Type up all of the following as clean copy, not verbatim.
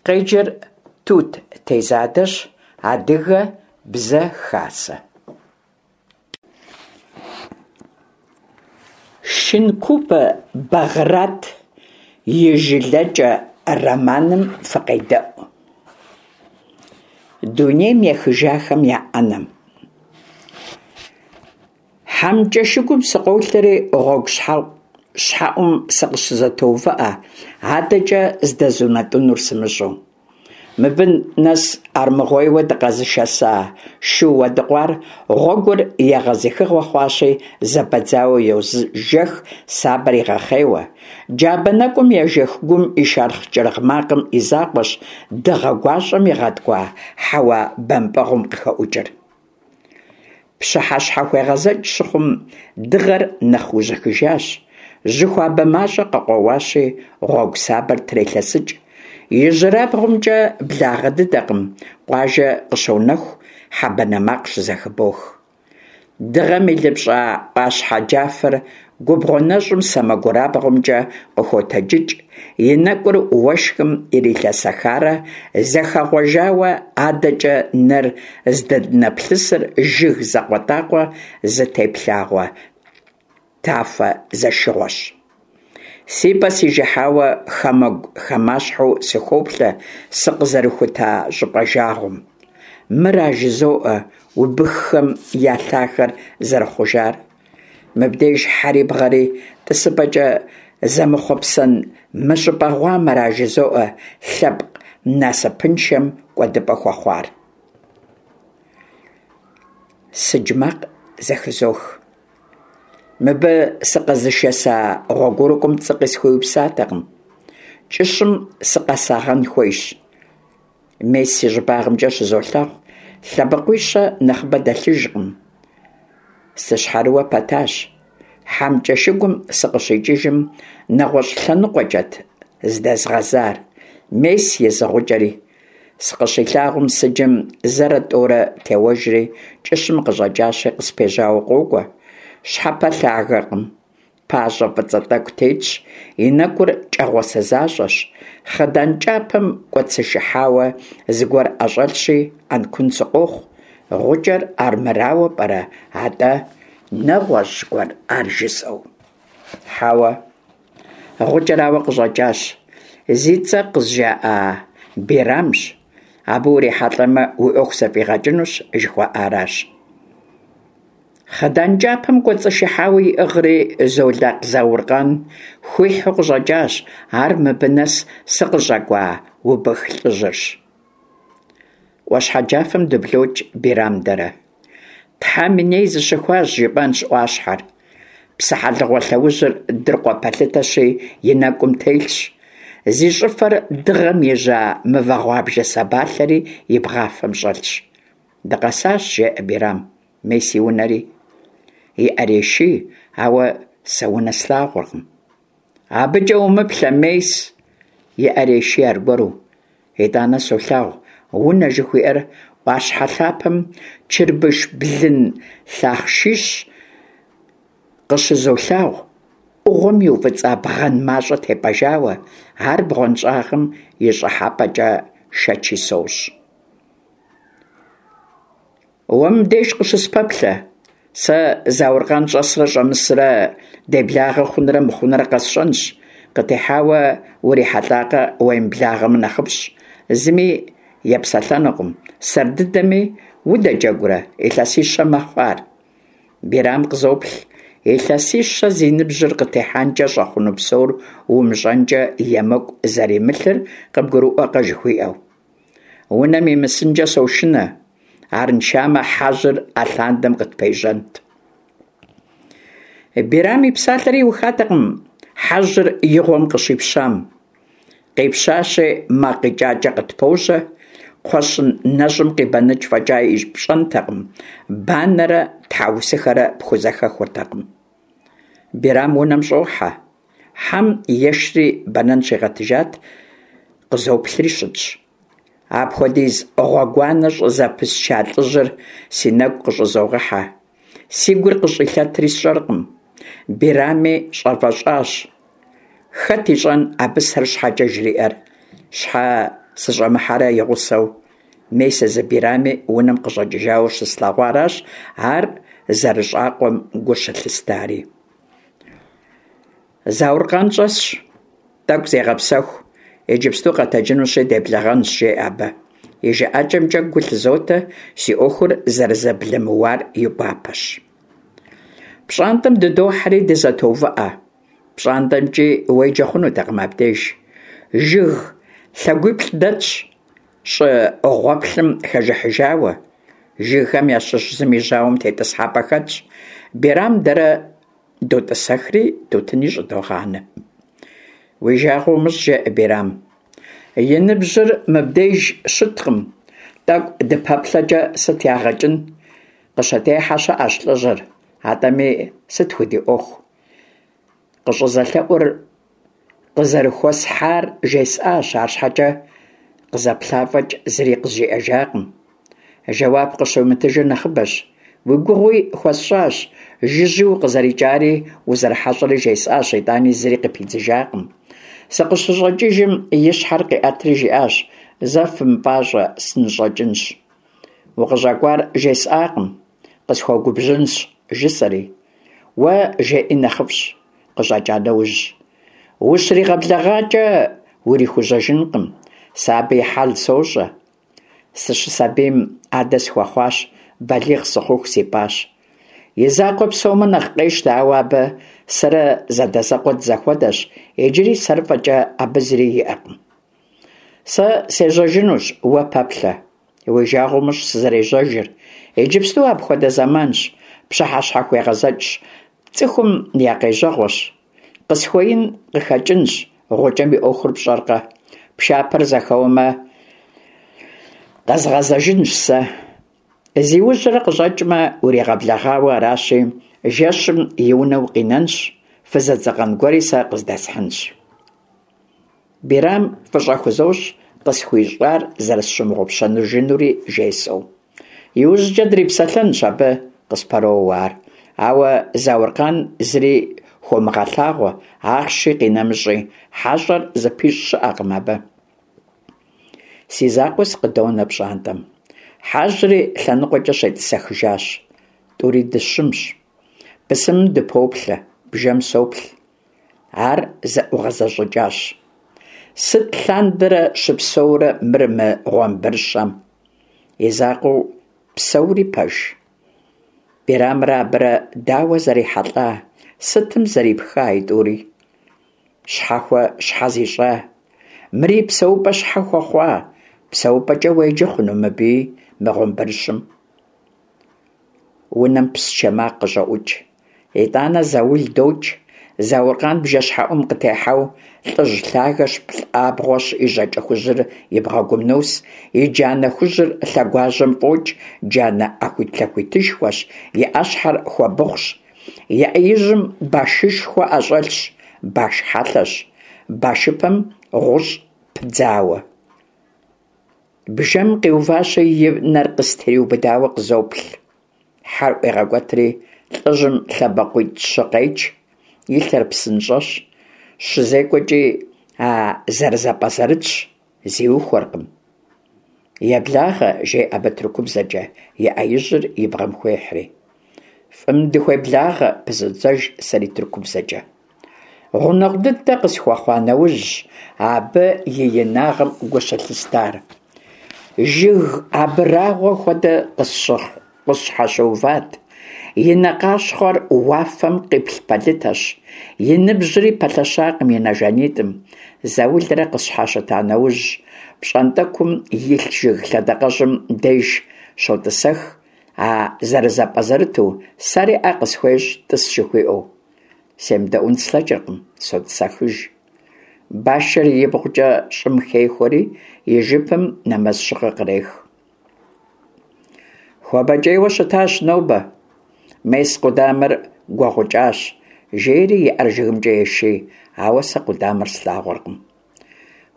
Къеджэр Тут Тезадэщ, Адыгэ бзэ хасэ. Шинкубэ Бэгърат и «Жылэкӏэ» романым фыкъедэӏу. Дунейм ехыжахэм я ӏэнэм. Хьэмкӏэшыгум сыкъолъэри, гъуэгу щхьэӏум сыкъыщызэтоувыӏэ, адэкӏэ здэзунэтӏынур сымыщӏэу. Мыбы нэс армыгъуейуэ дыкъэзышэса шу уэдыкъуар гъуэгур егъэзыхыгъуэ хъуащи, зэбэдзауэ йожэх, сабэр игъэхъейуэ. Джабэ нэкӏум ежэх гум и шэрхъ кӏыргъ макъым и закъуэщ дыгъэ гуащӏэм игъэткӏуа хьэуа бэмпӏэгъуэм къыхэӏукӏыр. Пщыхьэщхьэхуегъэзэкӏ щыхъум, дыгъэр нэхъ ужьыхыжащ, жьы хуабэ мащӏэ къыкъуэуащи, гъуэгу сабэр трелъэсыкӏ. Ижьырабгъумкӏэ благъэ дыдэкъым, къуажэ къыщонэху, хьэ банэ макъ щызэхыбох. Дыгъэм илыпщӏа ӏуащхьэ джафэр губгъуэ нэщӏым сэмэгурабгъумкӏэ къыхотэджыкӏ, и нэкӏур уэшхым ирилъэсэхарэ зэхэгъуэжауэ адэкӏэ нэр здынэплъысыр жыг закъуэтӏакъуэ зытеплъагъуэ тафэ зэшыгъуэщ. Си пӏэ сижыхьауэ хамэгу-хамащхьэу сыхоплъэ сыкъызэрыхута щӏыпӏэ жагъуэм. Мыра жызоӏэ убыххэм я лъахэр зэрыхъужар? Мыбдеж хьэри бгъэри тӏысыпӏэкӏэ зэмыхъуэпсэн мы щӏыпӏэ гъуамэра жызоӏэ лъэпкъ насыпыншэм кӏуэдыпӏэ хуэхъуар. Сыдж макъ зэхызох. Мыбы сыкъэзышэса гъуэгурыкӏуэм пцӏы къысхуиупсатэкъым. Кӏыщым сыкъэсагъэн хуейщ. Мес си щӏыбагъымкӏэ щызолъагъу, лъэбакъуищэ нэхъыбэ дэлъыжкъым. Сыщхьэрыуэ пэтащ. Хьэмкӏэшыгум сыкъыщикӏыжым нэгъуэщӏ лъэныкъуэкӏэт здэзгъэзар. Мес езы гъукӏэри. Сыкъыщилъагъум сыджым зэрэ-тӏорэ теуэжри, кӏыщым къыщӏэкӏащи, къыспежьауэ къокӏуэ. Щхьэпэлъагэкъым. Пащӏэ фӏыцӏэ тӏэкӏу тетщ, и нэкӏур кӏэгъуасэ защӏэщ, хъыдан кӏапэм кӏуэцӏышыхьауэ зыгуэр ӏэщӏэлъщи, ӏэнкун сыкъохъу, гъукӏэр армырауэ пӏэрэ, атӏэ нэгъуэщӏ гуэр ар жысӏэу. Хьэуэ, гъукӏэрауэ къыщӏэкӏащ, зи цӏэ къызжаӏа Бирамщ, абы урихьэлӏэмэ, уи ӏуэху зэфӏигъэкӏынущ жыхуаӏаращ. Хъыдан кӏапэм кӏуэцӏышыхьауэ иӏыгъри Золакъ Зауркъан хуихьу къыщӏэкӏащ, ар мыбы нэс сыкъыщӏэкӏуа убых лӏыжьырщ. Ӏуащхьэ джафэм дыблокӏ Бирам дэрэ. Тхьэм и ней зыщыхуащ, жыпӏэнщ ӏуащхьэр. Псыхьэлыгъуэ лъэужьыр дыркъуэ пэлъытэщи, и нэкӏум телъщ. Зи щӏыфэр дыгъэм ижьа мывэ гъуабжэ сабалъэри и бгъафэм щӏэлъщ. Дыкъэсащ, жеӏэ Бирам. Мес и унэри. И ӏэр еший, ауэ сэ унэ слъагъуркъым. Абыкӏэ умыплъэ, мес! И ӏэр еший аргуэру. Итӏанэ солъагъу унэ жыхуиӏэр ӏуащхьэ лъапэм чырбыш блын лъахъшищ къыщызолъагъу, ӏугъуэм иуфӏыцӏа бгъэн мащӏэ тепӏэжауэ, ар бгъуэнщӏагъым и щӏыхьэпӏэкӏэ шэчи сощӏ. Уэ мыбдеж къыщыспэплъэ, сэ Зауркъан щӏэсрэ щӏэмысрэ, деблагъэ хъунрэ мыхъунрэ къэсщӏэнщ, къытехьауэ урихьэлӏакъэ уемыблагъэмэ нэхъыфӏщ, зыми епсэлъэнукъым, сэр дыдэми удэджэгурэ, илъэсищэ мэхъу ар. Бирам къызоплъ, илъэсищэ зи ныбжьыр къытехьэнкӏэ щӏэхъуну псор умыщӏэнкӏэ емыкӏу зэримылъыр къыбгурыӏуэкъэ жыхуиӏэу. Унэм имысынкӏэ сошынэ, арыншамэ хьэжьыр алъандэм къытпежьэнт. Бирам и псалъэр иухатэкъым хьэжьыр и гъуэм къыщипщам. Къипщащи, макъ икӏакӏэ къытпожьэ, кхъуэщын нэщӏым къибэныкӏ фӏэкӏа пщӏэнтэкъым, банэрэ тхьэусыхэрэ пхузэхэхуртэкъым. Бирам унэм щӏохьэ. Хьэм ешри бэнэн щигъэтыжат, къызоплъри щытщ. Апхуэдиз гъуэгуанэ щӏызэпысча лӏыжьыр си нэгу къыщӏызогъэхьэ. Си гур къыщӏилъэтри сщӏэркъым. Бирами щӏэвэщӏащ. Хэт ищӏэн абы сэр щхьэкӏэ жриӏэр? Щхьэ? сыщӏэмыхьэрэ и гъусэу. Мес езы Бирами унэм къыщӏэкӏыжауэ щыслъэгъуаращ ар зэрыщӏакъуэм гу щылъыстари. Зауркъан щӏэсщ, тӏэкӏу зегъэпсэху, иджыпсту къэтэджынущи деблэгъэнщ, жеӏэ абы. И жыӏэкӏэмкӏэ гу лъызотэ, си ӏуэхур зэрызэблэмыуар и гуапэщ. Пщӏантӏэм дыдохьэри дызэтоувыӏэ. Пщӏантӏэмкӏи уеджэ хъунутэкъым абдеж. Жыг лъэгуиплӏ дэтщ, щӏы гъуэплъым хэжыхьыжауэ. Жыгхэм ящыщ зым и жьауэм тетӏысхьэпӏэ хэтщ. Бирам дэрэ дотӏысэхри тутыни щӏыдогъанэ. Уи жагъуэ умыщӏ, жеӏэ Бирам. И ныбжьыр мыбдеж щыткъым, тӏэкӏу дыпэплъэкӏэ сыт ягъэ кӏын? Къыщытехьэ щыӏэщ лӏыжьыр, атӏэми сыт худиӏуэху? Къыщӏызэлъэӏур къызэрыхуэсхьар жесӏащ, арщхьэкӏэ къызэплъа фӏэкӏ зыри къызжиӏэжакъым. Жэуап къыщумытыжыр нэхъыбэщ. Уи гугъуи хуэсщӏащ, жыжьи укъызэрикӏари узэрыхьэщӏэри жесӏащ, итӏани зыри къыпидзыжакъым. Сыкъыщыщӏэкӏыжым и щхьэр къиӏэтри жиӏащ: Зэ фымыпӏащӏэ, сыныщӏэкӏынщ. Укъыщӏэкӏуар жесӏакъым, къысхуэгубжьынщ, жысӏэри. Уэ жеӏи нэхъыфӏщ, къыщӏэкӏа нэужь. Ущригъэблэгъакӏэ урихужьэжынкъым, сэ абы и хьэл сощӏэ. Сыщысабийм адэ схуэхъуащ, балигъ сыхъуху сипӏащ. И закъуэ псэумэ нэхъ къещтэ, ауэ абы сэрэ зэдэзэкъуэ дызэхуэдэщ, иджыри сэр фӏэкӏэ абы зыри иӏэкъым. Сэ сежьэжынущ, уэ пэплъэ. Уи жагъуэ умыщӏ сызэрежьэжыр. Иджыпсту апхуэдэ зэманщ, пщыхьэщхьэхуегъэзэкӏщ, цӏыхум я къежьэгъуэщ. Къысхуеин къыхэкӏынщ, гъукӏэм и ӏуэхур пщӏэркъэ? Пшапэр зэхэуэмэ, къэзгъэзэжынщ сэ. Зиужьрэ къыщӏэкӏмэ, уригъэблэгъауэ аращи, жэщым и унэ укъинэнщ, фызэдзэкъэн гуэри сэ къыздэсхьынщ. Бирам фӏыщӏэ хузощӏ, къысхуищӏар зэрысщымыгъупщэжынури жесӏэу. Иужькӏэ дрипсэлъэнщ абы, къыспэроуэ ар. Ауэ Зауркъан зыри хуомыгъэлъагъуэ, ахъши къинэмыщӏи, хьэщӏэр зыпищӏ щыӏэкъым абы. Си закъуэ сыкъыдонэ пщӏантӏэм. Хьэжьри лъэныкъуэкӏэ щетӏысэхыжащ. Тӏури дыщымщ. Бысымым дыпоплъэ, бжэм соплъ. Ар зэӏугъэзэщӏыкӏащ. Сыт лъандэрэ щыпсэурэ мыр мы гъуэмбрыщэм? И закъуэу псэури пэж? Бирамрэ абырэ дауэ зэрихьэлӏа, сытым зэрипха а тӏури? Щхьэхуэ щхьэ зищӏа? Мыри псэупӏэ щхьэ хуэхъуа? Псэупӏэкӏэ уеджэ хъуну мыбыи, мы гъуэмбрыщым? Унэм псчэ макъ къыщӏоӏукӏ. Итӏанэ заул докӏ. Зауркъан бжэщхьэӏум къытехьэу, лӏыжь лъагэщ, плӏабгъуэщ, и жьакӏэ хужьыр и бгъэгум нос, и джанэ хужьыр лъэгуажьэм фӏокӏ, джанэ ӏэхуитлъэхуитышхуэщ, и ӏэщхьэр хуэбыхъущ. И ӏэ ижьым башышхуэ ӏэщӏэлъщ, баш хьэлъэщ, башыпэм гъущӏ пыдзауэ. Бжэм къиуващи, и нэр къыстриубыдауэ къызоплъ. Хьэр ӏуегъэкӏуэтри, лӏыжьым лъэбакъуитӏ-щы къеч, и лъэр псынщӏэщ, щызекӏуэкӏи а зэрызэпӏэзэрытщ, зиухуэркъым. Еблагъэ, жеӏэ абы тыркубзэкӏэ, и ӏэ ижьыр и бгъэм хуехьри. Фӏым дыхуеблагъэ, пызодзэж сэри тыркубзэкӏэ. Гъунэгъу дыдэ къысхуэхъуа нэужьщ абы и инагъым гу щылъыстар. Жыг абрагъуэ хуэдэ къысщхьэщыуват, и нэ къащхъуэр уафэм къиплъ пэлъытэщ, и ныбжьри пэлъэщакъым и нэ жанитӏым. Заулрэ къысщхьэщыта нэужь, пщӏантӏэкум илъ жыг лъэдакъэжьым деж щотӏысэх, а зэрызэпӏэзэрыту, сэри ӏэ къысхуещӏ тӏыс жыхуиӏэу. Семыдэӏун слъэкӏыркъым, сотӏысэхыж. Башыр ибгъукӏэ щӏым хехуэри, и жыпым нэмэз щыгъэ кърех. Хуабэкӏейуэ щытащ нобэ. Мес къудамэр гуэгъукӏащ, жери и ӏэр жыгымкӏэ еший, ауэ сэ къудамэр слъагъуркъым.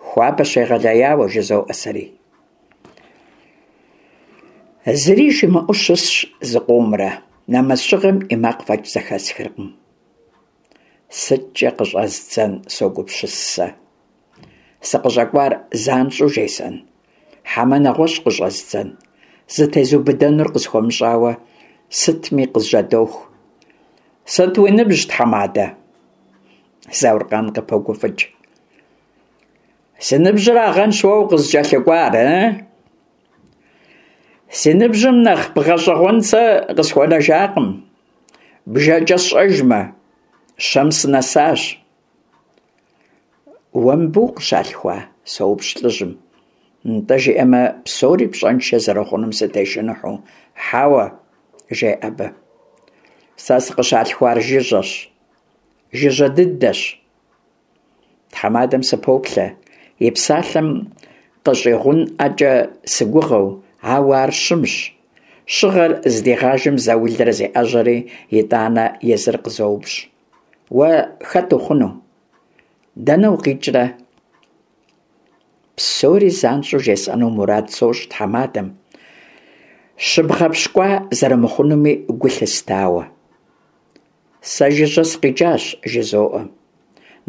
Хуабэщ егъэлеяуэ, жызоӏэ сэри. Зыри жимыӏэу щысщ зыкъомрэ, нэмэз щыгъэм и макъ фӏэкӏ зэхэсхыркъым. Сыткӏэ къыщӏэздзэн, согупсыс сэ. Сыкъыщӏэкӏуар занщӏэу жесӏэн? Хьэмэ нэгъуэщӏ къыщӏэздзэн? Зытезубыдэнур къысхуэмыщӏауэ, сытми къызжьэдоху. Сыт уи ныбжь, тхьэмадэ? Зауркъан къыпогуфӏыкӏ. Си ныбжьырагъэнщ уэ укъызыкӏэлъыкӏуар, ы? Си ныбжьым нэхъ бгъэщӏэгъуэн сэ къысхуэнэжакъым. Бжэкӏэ сщӏэжмэ, щэм сынэсащ. Уэ мыбы укъыщалъхуа? соупщӏ лӏыжьым. Нтӏэ жиӏэмэ, псори пщӏэншэ зэрыхъунум сытешыныхьу. Хьэуэ, жеӏэ абы. Сэ сыкъыщалъхуар жыжьэщ. Жыжьэ дыдэщ. Тхьэмадэм сыпоплъэ, и псалъэм къыщӏигъунӏэкӏэ сыгугъэу, ауэ ар щымщ. Щыгъэр здигъажэм заулрэ зеӏэжьэри, итӏанэ езыр къызоупщӏ. Уэ хэт ухъуну? Дэнэ укъикӏрэ? Псори занщӏэу жесӏэну мурад сощӏ тхьэмадэм, щыбгъэпщкӏуа зэрымыхъунуми гу лъыстауэ. Сэ жыжьэ сыкъикӏащ, жызоӏэ.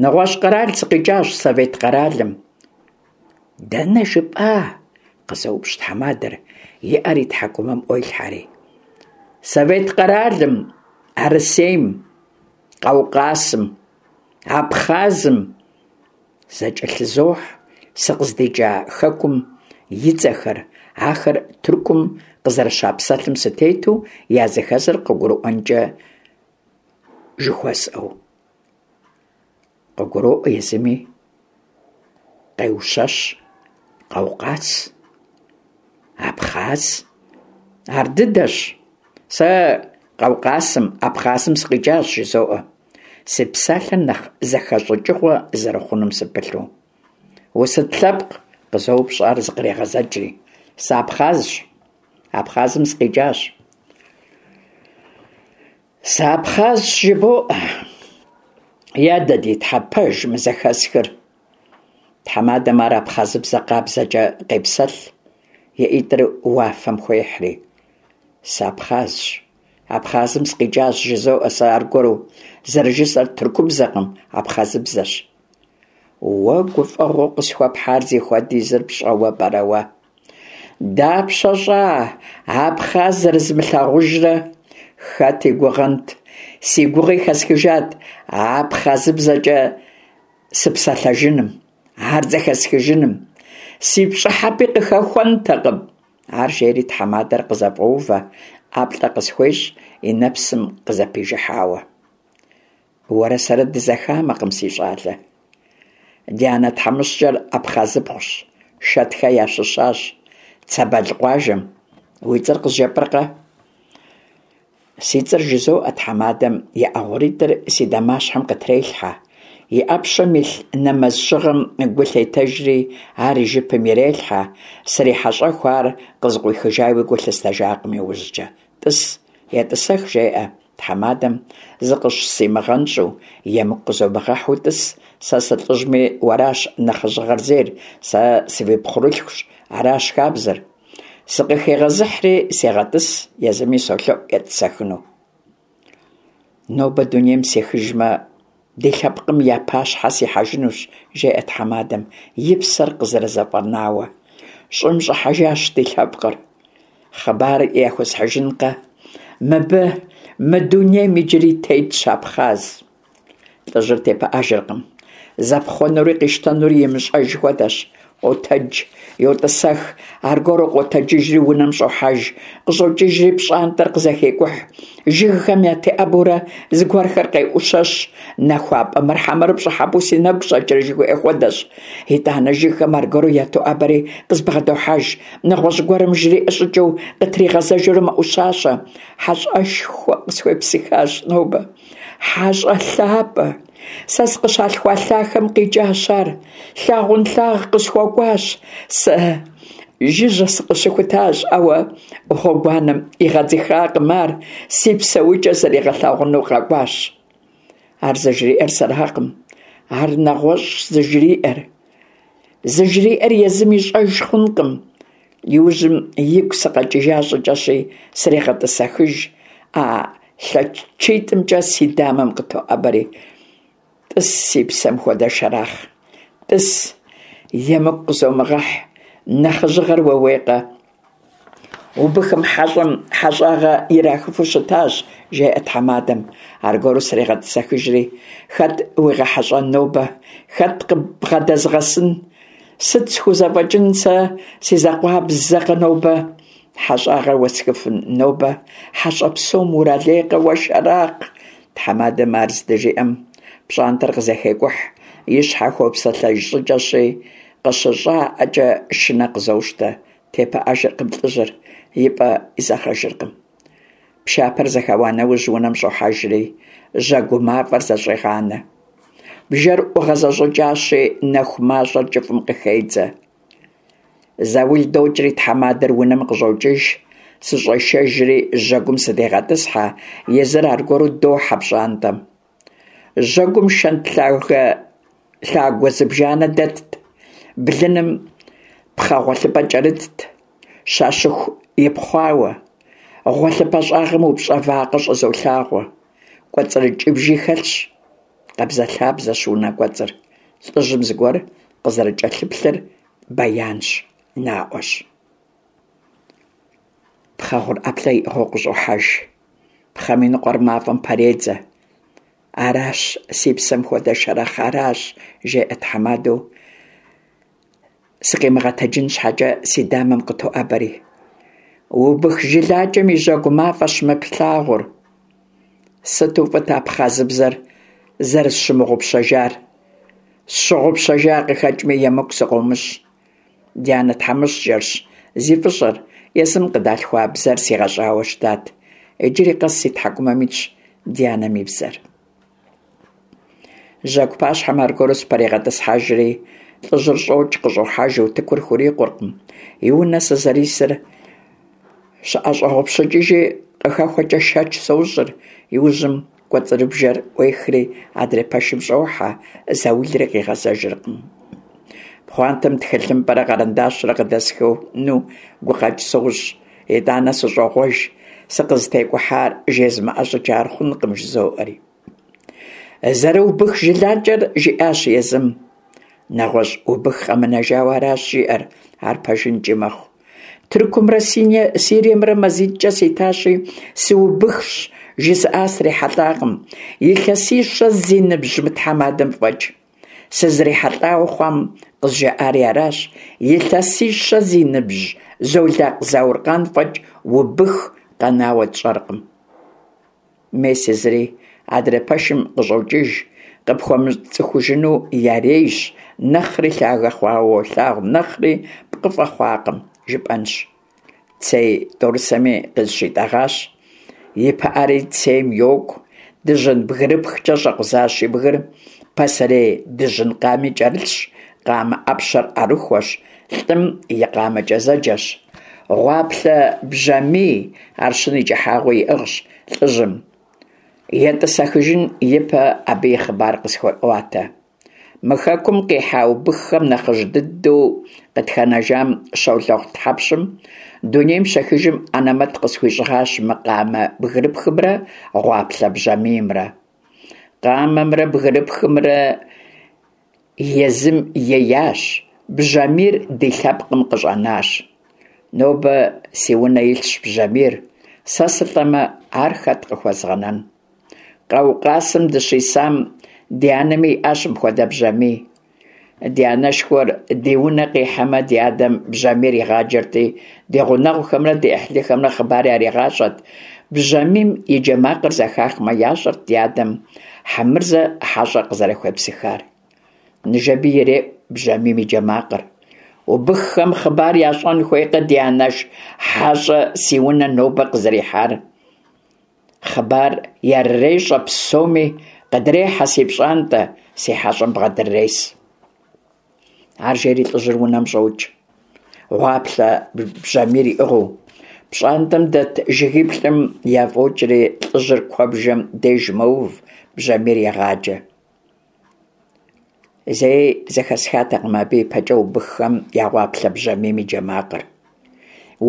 Нэгъуэщӏ къэрал сыкъикӏащ, Совет къэралым. Дэнэ жыпӏа? къызоупщӏ тхьэмадэр, и ӏэр и тхьэкӏумэм ӏуелъхьэри. Совет къэралым, Арысейм, Къаукъасым, Абхъазым зэкӏэлъызохь сыкъыздикӏа хэкум и цӏэхэр, ахэр Тыркум къызэрыщапсэлъым сытету языхэзыр къыгурыӏуэнкӏэ жыхуэсӏэу. Къыгуроӏуэ езыми, къеущэщ, Къаукъаз, Абхъаз. Ар дыдэщ. Сэ Къаукъасым, Абхъазым сыкъикӏащ, жызоӏэ. Си псалъэр нэхъ зэхэщӏыкӏыгъуэ зэрыхъунум сыпылъу. Усыт лъэпкъ? къызоупщӏ ар зыкърегъэзэкӏри. Сыабхъазщ. Абхъазым сыкъикӏащ. Сыабхъазщ жыбоӏэ. Я дэ ди Тхьэ, пэж мы зэхэсхыр? Тхьэмадэм ар абхъазыбзэ къабзэкӏэ къепсэлъ, и ӏитӏыр уафэм хуехьри. Сыабхъазщ. Абхъазым сыкъикӏащ, жызоӏэ сэ аргуэру. Зэрыжысӏэр тыркубзэкъым, абхъазыбзэщ. Уэ гуфӏэгъуэу къысхуэпхьар зихуэдизыр пщӏэуэ пӏэрэ уэ? Дапщэ щӏа абхъаз зэрызмылъагъужрэ? Хэт и гугъэнт, си гугъи хэсхыжат абхъазыбзэкӏэ сыпсэлъэжыным, ар зэхэсхыжыным. Си пщӏыхьэпӏи къыхэхуэнтэкъым. Ар жери тхьэмадэр къызэфӏоувэ, ӏэплӏэ къысхуещӏ, и нэпсым къызэпижыхьауэ. Уэрэ сэрэ дызэхамэкъым, си щӏалэ. Ди анэ тхьэмыщкӏэр абхъазыпхъущ, Шэтхэ ящыщащ, Цэбэл къуажэм. Уи цӏэр къызжепӏэркъэ? Си цӏэр жызоӏэ, тхьэмадэм и ӏэ гъуритӏыр си дамащхьэм къытрелъхьэ. И ӏэпщэм илъ нэмэз щыгъэм гу лъетэжри, ар и жыпым ирелъхьэ. Срихьэщӏэху ар къызыкъуихыжауи гу лъыстэжакъым иужькӏэ. Тӏыс, етӏысэх, жеӏэ тхьэмадэм, зыкъыщсимыгъэнщӏу, емыкӏу къызомыгъэхьу тӏыс, сэ сылӏыжьми уэращ нэхъыжьыгъэр зейр, сэ сывипхъурылъхущ, аращ хабзэр. Сыкъыхегъэзыхьри сегъэтӏыс, езыми солъэӏу етӏысэхыну. Нобэ дунейм сехыжмэ, ди лъэпкъым я пащхьэ сихьэжынущ, жеӏэ тхьэмадэм, и псэр къызэрызэфӏэнауэ. Щӏым щӏыхьэжащ ди лъэпкъыр. Хъыбар яхуэсхьыжынкъэ? Мыбы, мы дунейм иджыри тетщ абхъаз. Лӏыжьыр тепыӏэжыркъым. Зэпхъуэнури къищтэнури имыщӏэж хуэдэщ. Къотэдж, йотӏысэх, аргуэру къотэджыжри унэм щӏохьэж, къыщӏокӏыжри пщӏантӏэр къызэхекӏухь. Жыгхэм ятеӏэбэурэ зыгуэрхэр къеӏущэщ. Нахуапӏэ мыр хьэмэрэ пщӏыхьэпӏэу си нэгу щӏэкӏрэ жыхуиӏэ хуэдэщ. Итӏанэ жыгхэм аргуэру ятоӏэбэри къызбгъэдохьэж. Нэгъуэщӏ гуэрым жриӏэ щӏыкӏэу къытригъэзэжурэ мэӏущащэ. Хьэщӏэшхуэ къысхуепсыхащ нобэ. Хьэщӏэ лъапӏэ! Сэ сыкъыщалъхуа лъахэм къикӏащ ар. Лъагъунлъагъу къысхуэкӏуащ. Сэ жыжьэ сыкъыщыхутащ, ауэ гъуэгуанэм игъэдзыхакъым ар, си псэукӏэ зригъэлъагъуну къэкӏуащ. Ар зыжриӏэр сэракъым, ар нэгъуэщӏщ зыжриӏэр. Зыжриӏэр езым ищӏэж хъункъым. Иужьым игу сыкъэкӏыжа щӏыкӏэщи, срегъэтӏысэхыж. ӏэ лъэчитӏымкӏэ си дамэм къытоӏэбэри, тӏыс си псэм хуэдэ Шэрахъ, тӏыс. Емыкӏу къызомыгъэхь, нэхъыжьыгъэр ууейкъэ? Убыхым хьэщӏэм хьэщӏагъэ ирахыфу щытащ, жеӏэ тхьэмадэм, аргуэру срегъэтӏысэхыжри. Хэт уигъэхьэщӏэн нобэ? Хэт къыббгъэдэзгъэсын? Сыт схузэфӏэкӏын сэ си закъуабзэкъэ нобэ? Хьэщӏагъэ уэсхыфын нобэ? Хьэщӏэ псом уралейкъэ уэ, Шэрахъ? Тхьэмадэм ар здыжиӏэм, пщӏантӏэр къызэхекӏухь, и щхьэ хуэпсэлъэж щӏыкӏэщи, къыщыщӏаӏэкӏэ шынэ къызощтэ. Тепыӏэжыркъым лӏыжьыр, и пӏэ изэгъэжыркъым. Пшапэр зэхэуа нэужь унэм щӏохьэжри, жьэгу мафӏэр зэщӏегъанэ. Бжэр ӏугъэзэщӏыкӏащи, нэху мащӏэр кӏыфӏым къыхедзэ. Заул докӏри тхьэмадэр унэм къыщӏокӏыж, сыщӏешэжри жьэгум сыдегъэтӏысхьэ, езыр аргуэру дохьэ пщӏантӏэм. Жьэгум шэнт лъагэ лъагуэ зыбжанэ дэтт, блыным пхъэ гъуэлъыпӏэ кӏэрытт, щащыху ипхъуауэ. Гъуэлъыпӏэ щӏагъым упщӏэ вакъэ щӏызолъагъуэ. Кӏуэцӏрыкӏыбжи хэлъщ. Къабзэлъабзэщ унэ кӏуэцӏыр. Лӏыжьым зыгуэр къызэрыкӏэлъыплъыр бэянщ, наӏуэщ. Пхъэ гъур ӏэплӏэ иӏыгъыу къыщӏохьэж. Пхъэм и ныкъуэр мафӏэм пэредзэ. Аращ, си псэм хуэдэ Шэрэхъ, аращ, жеӏэ тхьэмадэу, сыкъимыгъэтэджын щхьэкӏэ си дамэм къытоӏэбэри. Убых жылакӏэм и жьэгу мафӏэщ мы плъагъур. Сыту фӏыт абхъазыбзэр зэрысщымыгъупщэжар. Сщыгъупщэжа къыхэкӏми, емыкӏу сыкъыумыщӏ. Ди анэ тхьэмыщкӏэрщ зи фӏыщӏэр, езым къыдалъхуа бзэр сигъэщӏауэ щытат. Иджыри къэс си тхьэкӏумэм итщ ди анэм и бзэр. Жьэгу пащхьэм аргуэру сыпэрегъэтӏысхьэжри, лӏыжьыр щӏокӏ, къыщӏохьэж, утыкур хурикъуркъым. И унэ сызэрисыр щыӏэщӏэгъупщыкӏыжи къыхэхуэкӏэ шэч сощӏыр. Иужьым кӏуэцӏрыбжэр ӏуехри адрей пэшым щӏохьэ, заулри къигъэзэжыркъым. Пхъуантэм тхылъымпӏэрэ къэрэндащрэ къыдэсхыну гукъэкӏ сощӏ. Итӏанэ сыщӏогъуэж, сыкъызытекӏухьар жезмыӏэ щӏыкӏэ ар хъункъым, жызоӏэри. Зэрыубых жылакӏэр жиӏащ езым. Нэгъуэщӏ убых къэмынэжауэ аращ жиӏэр, ар пэжынкӏи мэхъу. Тыркумрэ Сириемрэ мазитӏкӏэ ситащи, сыубыхщ жызыӏа срихьэлӏакъым, илъэсищэ зи ныбжь мы тхьэмадэм фӏэкӏ. Сызрихьэлӏауэ хъуам къызжаӏари аращ, илъэсищэ зи ныбжь Золакъ Зауркъан фӏэкӏ убых къэнауэ тщӏэркъым. Мес езыри адрей пэшым къыщӏокӏыж, къыпхуэмыцӏыхужыну ярейщ, нэхъри лъагэ хъуауэ уолъагъу, нэхъри пкъыфӏэ хъуакъым, жыпӏэнщ. Цей тӏорысэми къызыщитӏэгъащ, и пыӏэри цейм йокӏу, дыжьын бгырыпхкӏэ щӏэкъузащ и бгыр, пасэрей дыжьын къами кӏэрылъщ, къамэ ӏэпщэр ӏэрыхуэщ, лӏым и къамэкӏэ зэджэщ. Гъуаплъэ бжьамий арщын и кӏыхьагъыу иӏыгъщ лӏыжьым. Етӏысэхыжын ипэ абы и хъыбар къысхуеӏуатэ. Мы хэкум къихьа убыххэм нэхъыжь дыдэу къытхэнэжам Щолэхъу тхьэпщым дунейм щехыжым анэмэт къысхуищӏыгъащ мы къамэ бгырыпхымрэ гъуаплъэ бжьамиймрэ. Къамэмрэ бгырыпхымрэ езым еящ, бжьамийр ди лъэпкъым къыщӏэнащ. Нобэ си унэ илъщ бжьамийр, сэ сылӏэмэ, ар хэт къыхуэзгъэнэн? Къаукъасым дыщисам ди анэми иӏащ мыпхуэдэ бжьамий. Ди анэшхуэр ди унэ къихьэмэ, ди адэм бжьамийр игъаджэрти, ди гъунэгъухэмрэ ди ӏыхьлыхэмрэ хъыбар яригъащӏэт. Бжьамийм и джэ макъыр зэхахмэ, ящӏэрт ди адэм Хьэмырзэ хьэщӏэ къызэрыхуепсыхар. Ныжэби иреӏу бжьамийм и джэ макъыр. Убыххэм хъыбар ящӏэн хуейкъэ ди анэш хьэщӏэ си унэ нобэ къызэрихьар? Хъыбар ярырещӏэ псоми, къыдрехьэ си пщӏантӏэ, си хьэщӏэм бгъэдыррес. Ар жери лӏыжьыр унэм щӏокӏ, гъуаплъэ бжьамийр иӏыгъыу. Пщӏантӏэм дэт жыгиплӏым яфӏокӏри, лӏыжьыр куэбжэм деж мэув, бжьамийр егъаджэ. Зэи зэхэсхатэкъым абы ипэкӏэ убыххэм я гъуаплъэ бжьамийм и джэ макъыр.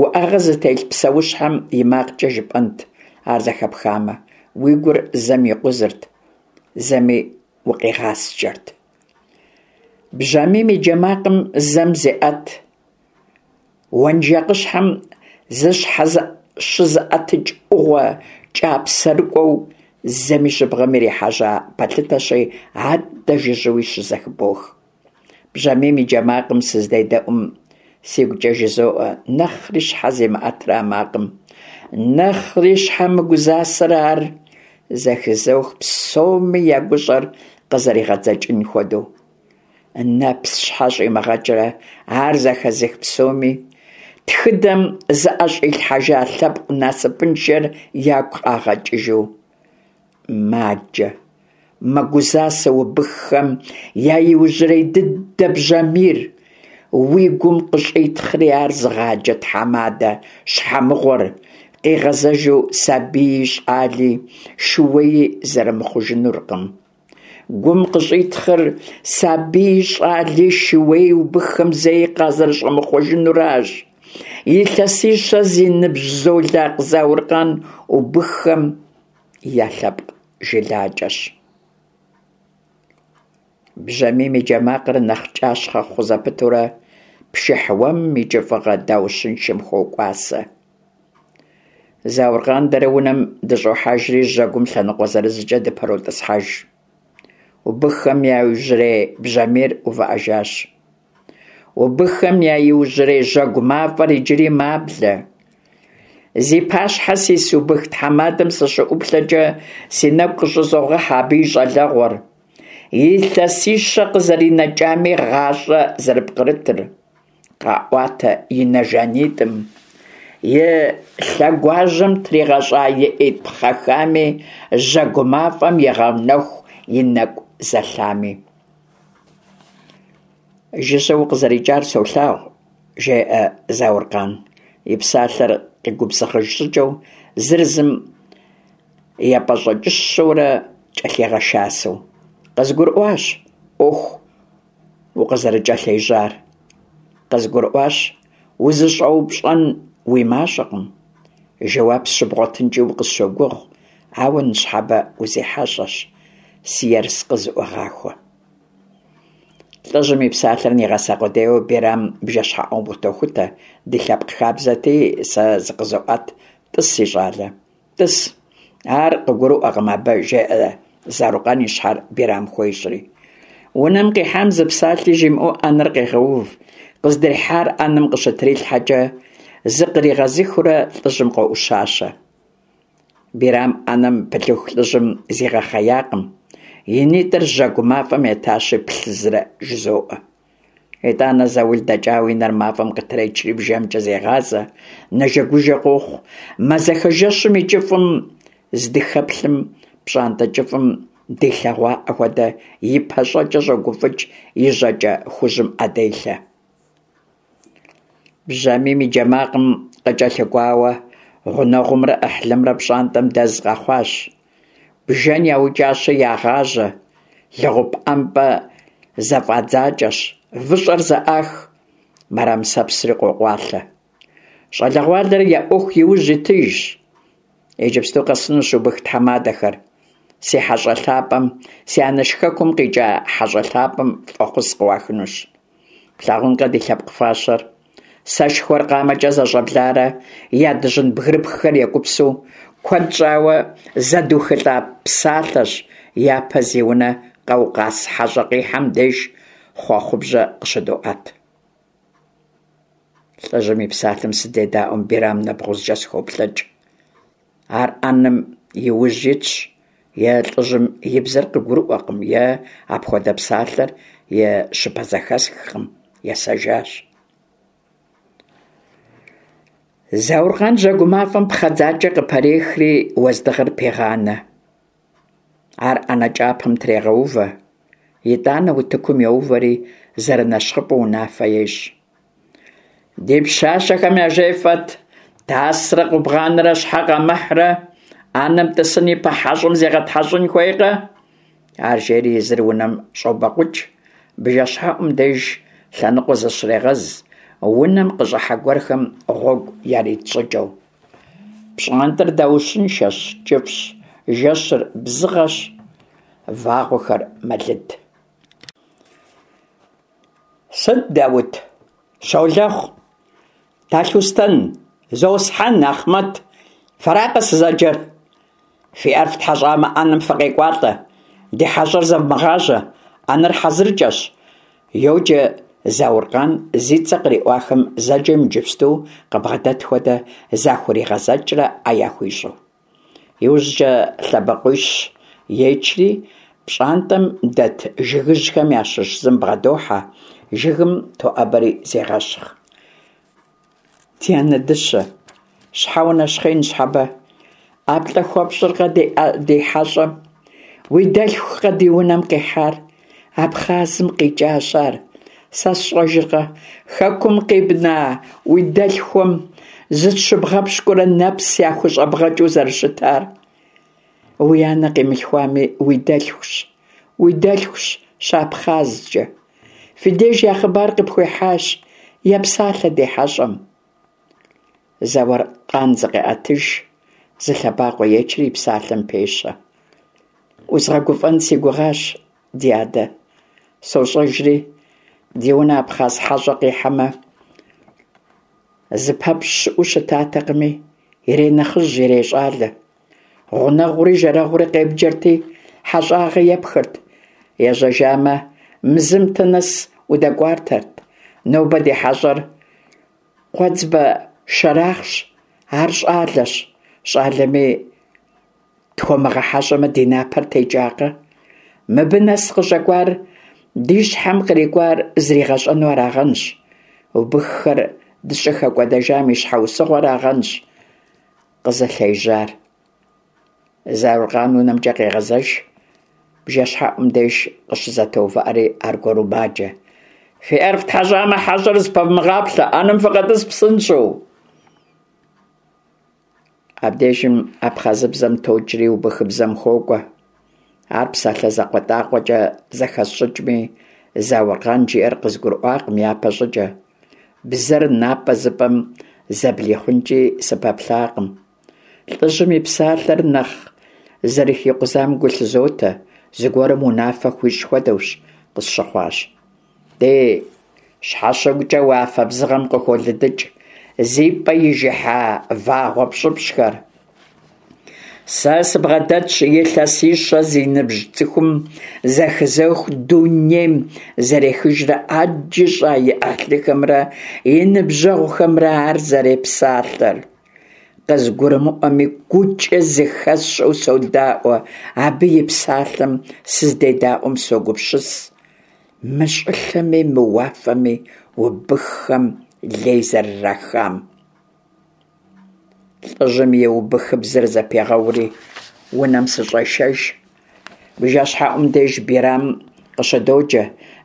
Уӏэгъэ зытелъ псэущхьэм и макъкӏэ жыпӏэнт ар зэхэпхамэ, уи гур зэм икъузырт, зэми укъигъаскӏэрт. Бжьамийм и джэ макъым зэм зеӏэт, уэнжакъыщхьэм зыщхьэщызыӏэтыкӏ ӏугъуэ кӏапсэрыкӏуэу, зэми жьыбгъэм ирихьэжьа пэлъытэщи, аддэ жыжьэуи щызэхыбох. Бжьамийм и джэ макъым сыздедэӏум, сигукӏэ жызоӏэ, нэхъри щхьэ зимыӏэтрэ а макъым, нэхъри щхьэ мыгузасэрэ ар? Зэхызох псоми я гущӏэр къызэригъэдзэкӏын хуэдэу. Нэпс щхьэ щӏимыгъэкӏрэ ар зэхэзых псоми, тхыдэм зыӏэщӏилъхьэжа лъэпкъ насыпыншэр ягу къагъэкӏыжу. Маджэ, мэгузасэ убыххэм я иужьрей дыдэ бжьамийр, уи гум къыщӏитхъри ар зыгъаджэ тхьэмадэ щхьэмыгъуэр, къигъэзэжу сабии щӏали шууеи зэрымыхъужынуркъым. Гум къыщӏитхъыр сабии щӏали шууеи убыххэм зэи къазэрыщӏэмыхъуэжынуращ. Илъэсищэ зи ныбжь Золакъ Зауркъан убыххэм я лъэпкъ жылакӏэщ. Бжьамийм и джэ макъыр нэхъ кӏащхъэ хъу зэпытурэ, пшыхь уэмым и кӏыфӏыгъэ даущыншэм хокӏуасэ. Зауркъан дэрэ унэм дыщӏохьэжри, жьэгум лъэныкъуэ зырызкӏэ дыпэротӏысхьэж. Убыххэм я иужьрей бжьамийр увыӏэжащ. Убыххэм я иужьрей жьэгу мафӏэр иджыри маблэ. Зи пащхьэ сис убых тхьэмадэм сыщыӏуплъэкӏэ, си нэгу къыщӏызогъэхьэ абы и щӏалэгъуэр, илъэсищэ къызэринэкӏами гъащӏэ зэрыпкърытыр. Къаӏуатэ и нэ жанитӏым, и лъэгуажьэм тригъэщӏа и ӏитӏ пхъэхами, жьэгу мафӏэм игъэнэху и нэкӏу зэлъами. Жыжьэ укъызэрикӏар солъагъу, жеӏэ Зауркъан, и псалъэр къигубзыгъыж щӏыкӏэу, зыр зым епӏэщӏэкӏыщэурэ кӏэлъигъэшасэу. Къызгурыӏуащ ӏуэху укъызэрыкӏэлъежьар. Къызгурыӏуащ, узыщӏэупщӏэн уи мащӏэкъым. Жэуап сщыбгъуэтынкӏи укъысщогугъ, ауэ ныщхьэбэ узихьэщӏэщ, си ерыскъы зыӏугъахуэ. Лӏыжьым и псалъэр нигъэса къудейуэ Бирам бжэщхьэӏум къытохутэ, ди лъэпкъ хабзэти, сэ зыкъызоӏэт, тӏыс, си щӏалэ. Тӏыс. Ар къыгурыӏуэкъым абы, жеӏэ Зауркъан и щхьэр Бирам хуещӏри. Унэм къихьам зы псалъи жимыӏэу ӏэнэр къегъэув. Къыздрихьар ӏэнэм къыщытрилъхьэкӏэ, зыкъригъэзыхыурэ лӏыжьым къоӏущащэ. Бирам ӏэнэм пылъыху лӏыжьым зигъэхъеякъым. И нитӏыр жьэгу мафӏэм етащи, плъызрэ жызоӏэ. Итӏанэ заул дэкӏауэ и нэр мафӏэм къытречри бжэмкӏэ зегъазэ, нэжэгужэ къохъу. Мазэхэ жэщым и кӏыфӏым здыхэплъым, пщӏантӏэ кӏыфӏым дилъэгъуаӏэ хуэдэ и пащӏэкӏэ щӏогуфӏыкӏ, и жьакӏэ хужьым ӏэ делъэ. Бжьамийм и джэ макъым къыкӏэлъыкӏуауэ, гъунэгъумрэ ӏыхьлымрэ пщӏантӏэм дэз къэхъуащ. Бжэн яукӏащи ягъажьэ, лэгъупӏэмпӏэ зэфӏадзакӏэщ, выщӏэр зэӏах, мырамысэпсри къокъуалъэ. Щӏалэгъуалэр я ӏуэху иужь итыжщ. Иджыпсту къэсынущ убых тхьэмадэхэр. Си хьэщӏэ лъапӏэм, си анэш хэкум къикӏа хьэщӏэ лъапӏэм фӏэхъус къыуахынущ. Плъагъункъэ ди лъэпкъ фащэр? Сэшхуэр къамэкӏэ зэщӏэбларэ я дыжьын бгырыпххэр екӏупсу, куэд щӏауэ зэдухылӏа псалъэщ япэ зи унэ къэукъас хьэщӏэ къихьэм деж хъуэхъубжьэ къыщыдоӏэт. Лӏыжьым и псалъэм сыздедаӏуэм Бирам нэбгъузкӏэ схуоплъэкӏ. Ар ӏэнэм и ужь итщ, е лӏыжьым и бзэр къыгурыӏуэкъым, е апхуэдэ псалъэр и щыпэзэхэсхкъым, есэжащ. Зауркъан жьэгу мафӏэм пхъэдзакӏэ къыпэрехри уэздыгъэр пегъанэ. Ар ӏэнэ кӏапэм трегъэувэ, итӏанэ утыкум йоувэри зэрынэщхъыфӏэу унафэ ещӏ. Ди пщащэхэм яжефӏэт, тасрэ къубгъанрэ щхьэ къамыхьрэ, ӏэнэм тӏысын ипэ хьэщӏэм зегъэтхьэщӏын хуейкъэ? Ар жери езыр унэм щӏобэкъукӏ, бжэщхьэӏум деж лъэныкъуэ зыщрегъэз, унэм къыщӏыхьэ гуэрхэм гъуэгу ярит щӏыкӏэу. Пщӏантӏэр даущыншэщ, кӏыфӏщ, жэщыр бзыгъэщ, вагъуэхэр мэлыд. Сыт, Даут, Щолэхъу, Талъустэн, Зосхьэн, Ахъмэт, фэракъэ сызэджэр? Фи ӏэр фтхьэщӏамэ, ӏэнэм фыкъекӏуалӏэ, ди хьэщӏэр зэвмыгъажьэ, ӏэнэр хьэзыркӏэщ, йоджэ Зауркъан зи цӏэ къриӏуахэм зэджэм иджыпсту къыбгъэдэт хуэдэ захуригъэзэкӏрэ ӏэ яхуищӏу. Иужькӏэ лъэбакъуищ ечри, пщӏантӏэм дэт жыгыжьхэм ящыщ зым бгъэдохьэ, жыгым тоӏэбэри зегъэщхъ. Ди анэ дыщэ, щхьэ унэщхъей ныщхьэбэ? ӏэплӏэ хуэпщӏыркъэ ди хьэщӏэм? Уи дэлъхукъэ ди унэм къихьар? Абхъазым къикӏащ ар. Сэ сщӏэжыркъэ, хэкум къибна уи дэлъхуэм зытщыбгъэпщкӏурэ нэпс яхущӏэбгъэкӏыу зэрыщытар? Уи анэ къимылъхуами, уи дэлъхущ, уи дэлъхущ щыабхъазкӏэ. Фи деж я хъыбар къыпхуихьащ, епсалъэ ди хьэщӏэм. Зауркъан зыкъеӏэтыж, зы лъэбакъуэ ечри и псалъэм пещэ. Узгъэгуфӏэн си гугъащ, ди адэ. Сощӏэжри, ди унэ абхъаз хьэщӏэ къихьэмэ, зыпэпщӏ щыӏэу щытатэкъыми, иренэхъыжь, ирещӏалэ. Гъунэгъури жэрэгъури къебджэрти, хьэщӏагъэ епхырт. Ежьэжамэ, Мзымтэ нэс удэкӏуатэрт. Нобэ ди хьэщӏэр Къуэдзбэ Шэрахъщ, ар щӏалэщ. Щӏалэми тхуэмыгъэхьэщӏэмэ, ди напэр текӏакъэ? Мыбы нэс къыщӏэкӏуар ди щхьэм кърикӏуар зригъэщӏэну арагъэнщ. Убыххэр дыщӏыхэкӏуэдэжам и щхьэусыгъуэрагъэнщ къызылъежьар. Зауркъан унэмкӏэ къегъэзэж, бжэщхьэӏум деж къыщызэтоувыӏэри аргуэру маджэ. Фи ӏэр фтхьэщӏамэ, хьэщӏэр зыпэвмыгъаплъэ, ӏэнэм фыкъэтӏыс псынщӏэу. Абдежым абхъазыбзэм токӏри убыхыбзэм хуокӏуэ. Ар псалъэ закъуэтӏакъуэкӏэ зэхэсщӏыкӏми, Зауркъан жиӏэр къызгурыӏуакъым япэ щӏыкӏэ. Бзэр напӏэ-зыпӏэм зэблихъункӏи сыпэплъакъым. Лӏыжьым и псалъэр нэхъ зэрыхикъузам гу лъызотэ, зыгуэрым унафэ хуищӏ хуэдэущ къысщыхъуащ. Ди щхьэщыгукӏэ уафэ бзыгъэм къыхолыдыкӏ зи пӏэ ижыхьа вагъуэ пщӏыпщӏхэр. Сэ сыбгъэдэтщ илъэсищэ зи ныбжь цӏыхум зэхызох дунейм зэрехыжрэ ӏэджи щӏа и ӏыхьлыхэмрэ и ныбжьэгъухэмрэ ар зэрепсалъэр. Къызгурымыӏуэми, гукӏэ зыхэсщӏэу содаӏуэ, абы и псалъэм сыздедаӏуэм согупсыс, мы щӏылъэми мы уафэми убыххэм лей зэрырахам. Лӏыжьым и убыхыбзэр зэпегъэури, унэм сыщӏешэж. Бжэщхьэӏум деж Бирам къыщыдоджэ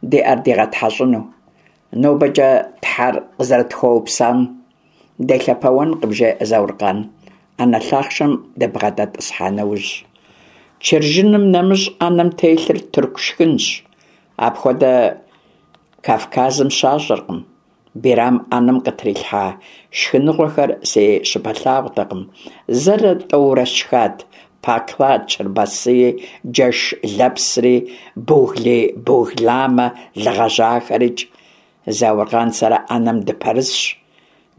ди ӏэр дигъэтхьэщӏыну. Нобэкӏэ Тхьэр къызэрытхуэупсам делъэпэуэнкъым, жеӏэ Зауркъан, ӏэнэ лъахъшэм дыбгъэдэтӏысхьа нэужь. Чыржыным нэмыщӏ ӏэнэм телъыр тырку шхынщ. Апхуэдэ Кавказым щащӏыркъым. Бирам ӏэнэм къытрилъхьа шхыныгъуэхэр си щыпэлъагъутэкъым. Зэрэ тӏэурэ сшхат пакла чырбасыи, джэш лэпсри, бугли-бугламэ лы гъэжьахэрикӏ. Зауркъан сэрэ ӏэнэм дыпэрысщ.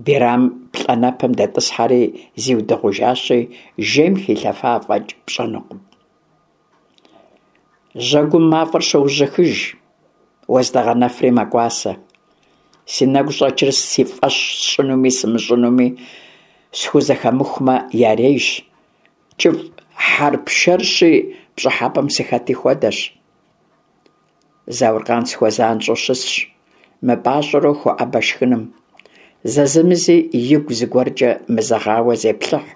Бирам плӏанэпэм дэтӏысхьэри зиудыгъужащи, жейм хилъэфа фӏэкӏ пщӏэнукъым. Жьэгум мафӏэр щоужьыхыж, уэздыгъэ нэфри мэкӏуасэ. Си нэгу щӏэкӏыр си фӏэщ сщӏынуми сымыщӏынуми схузэхэмыхумэ ярейщ. Кӏыфӏ хьэрпшэрщи, пщӏыхьэпӏэм сыхэти хуэдэщ. Зауркъан схуэзанщӏэу щысщ, мыпӏащӏэурэ хоӏэбэ шхыным. Зэзэмызи игу зыгуэркӏэ мызэгъауэ зеплъыхь.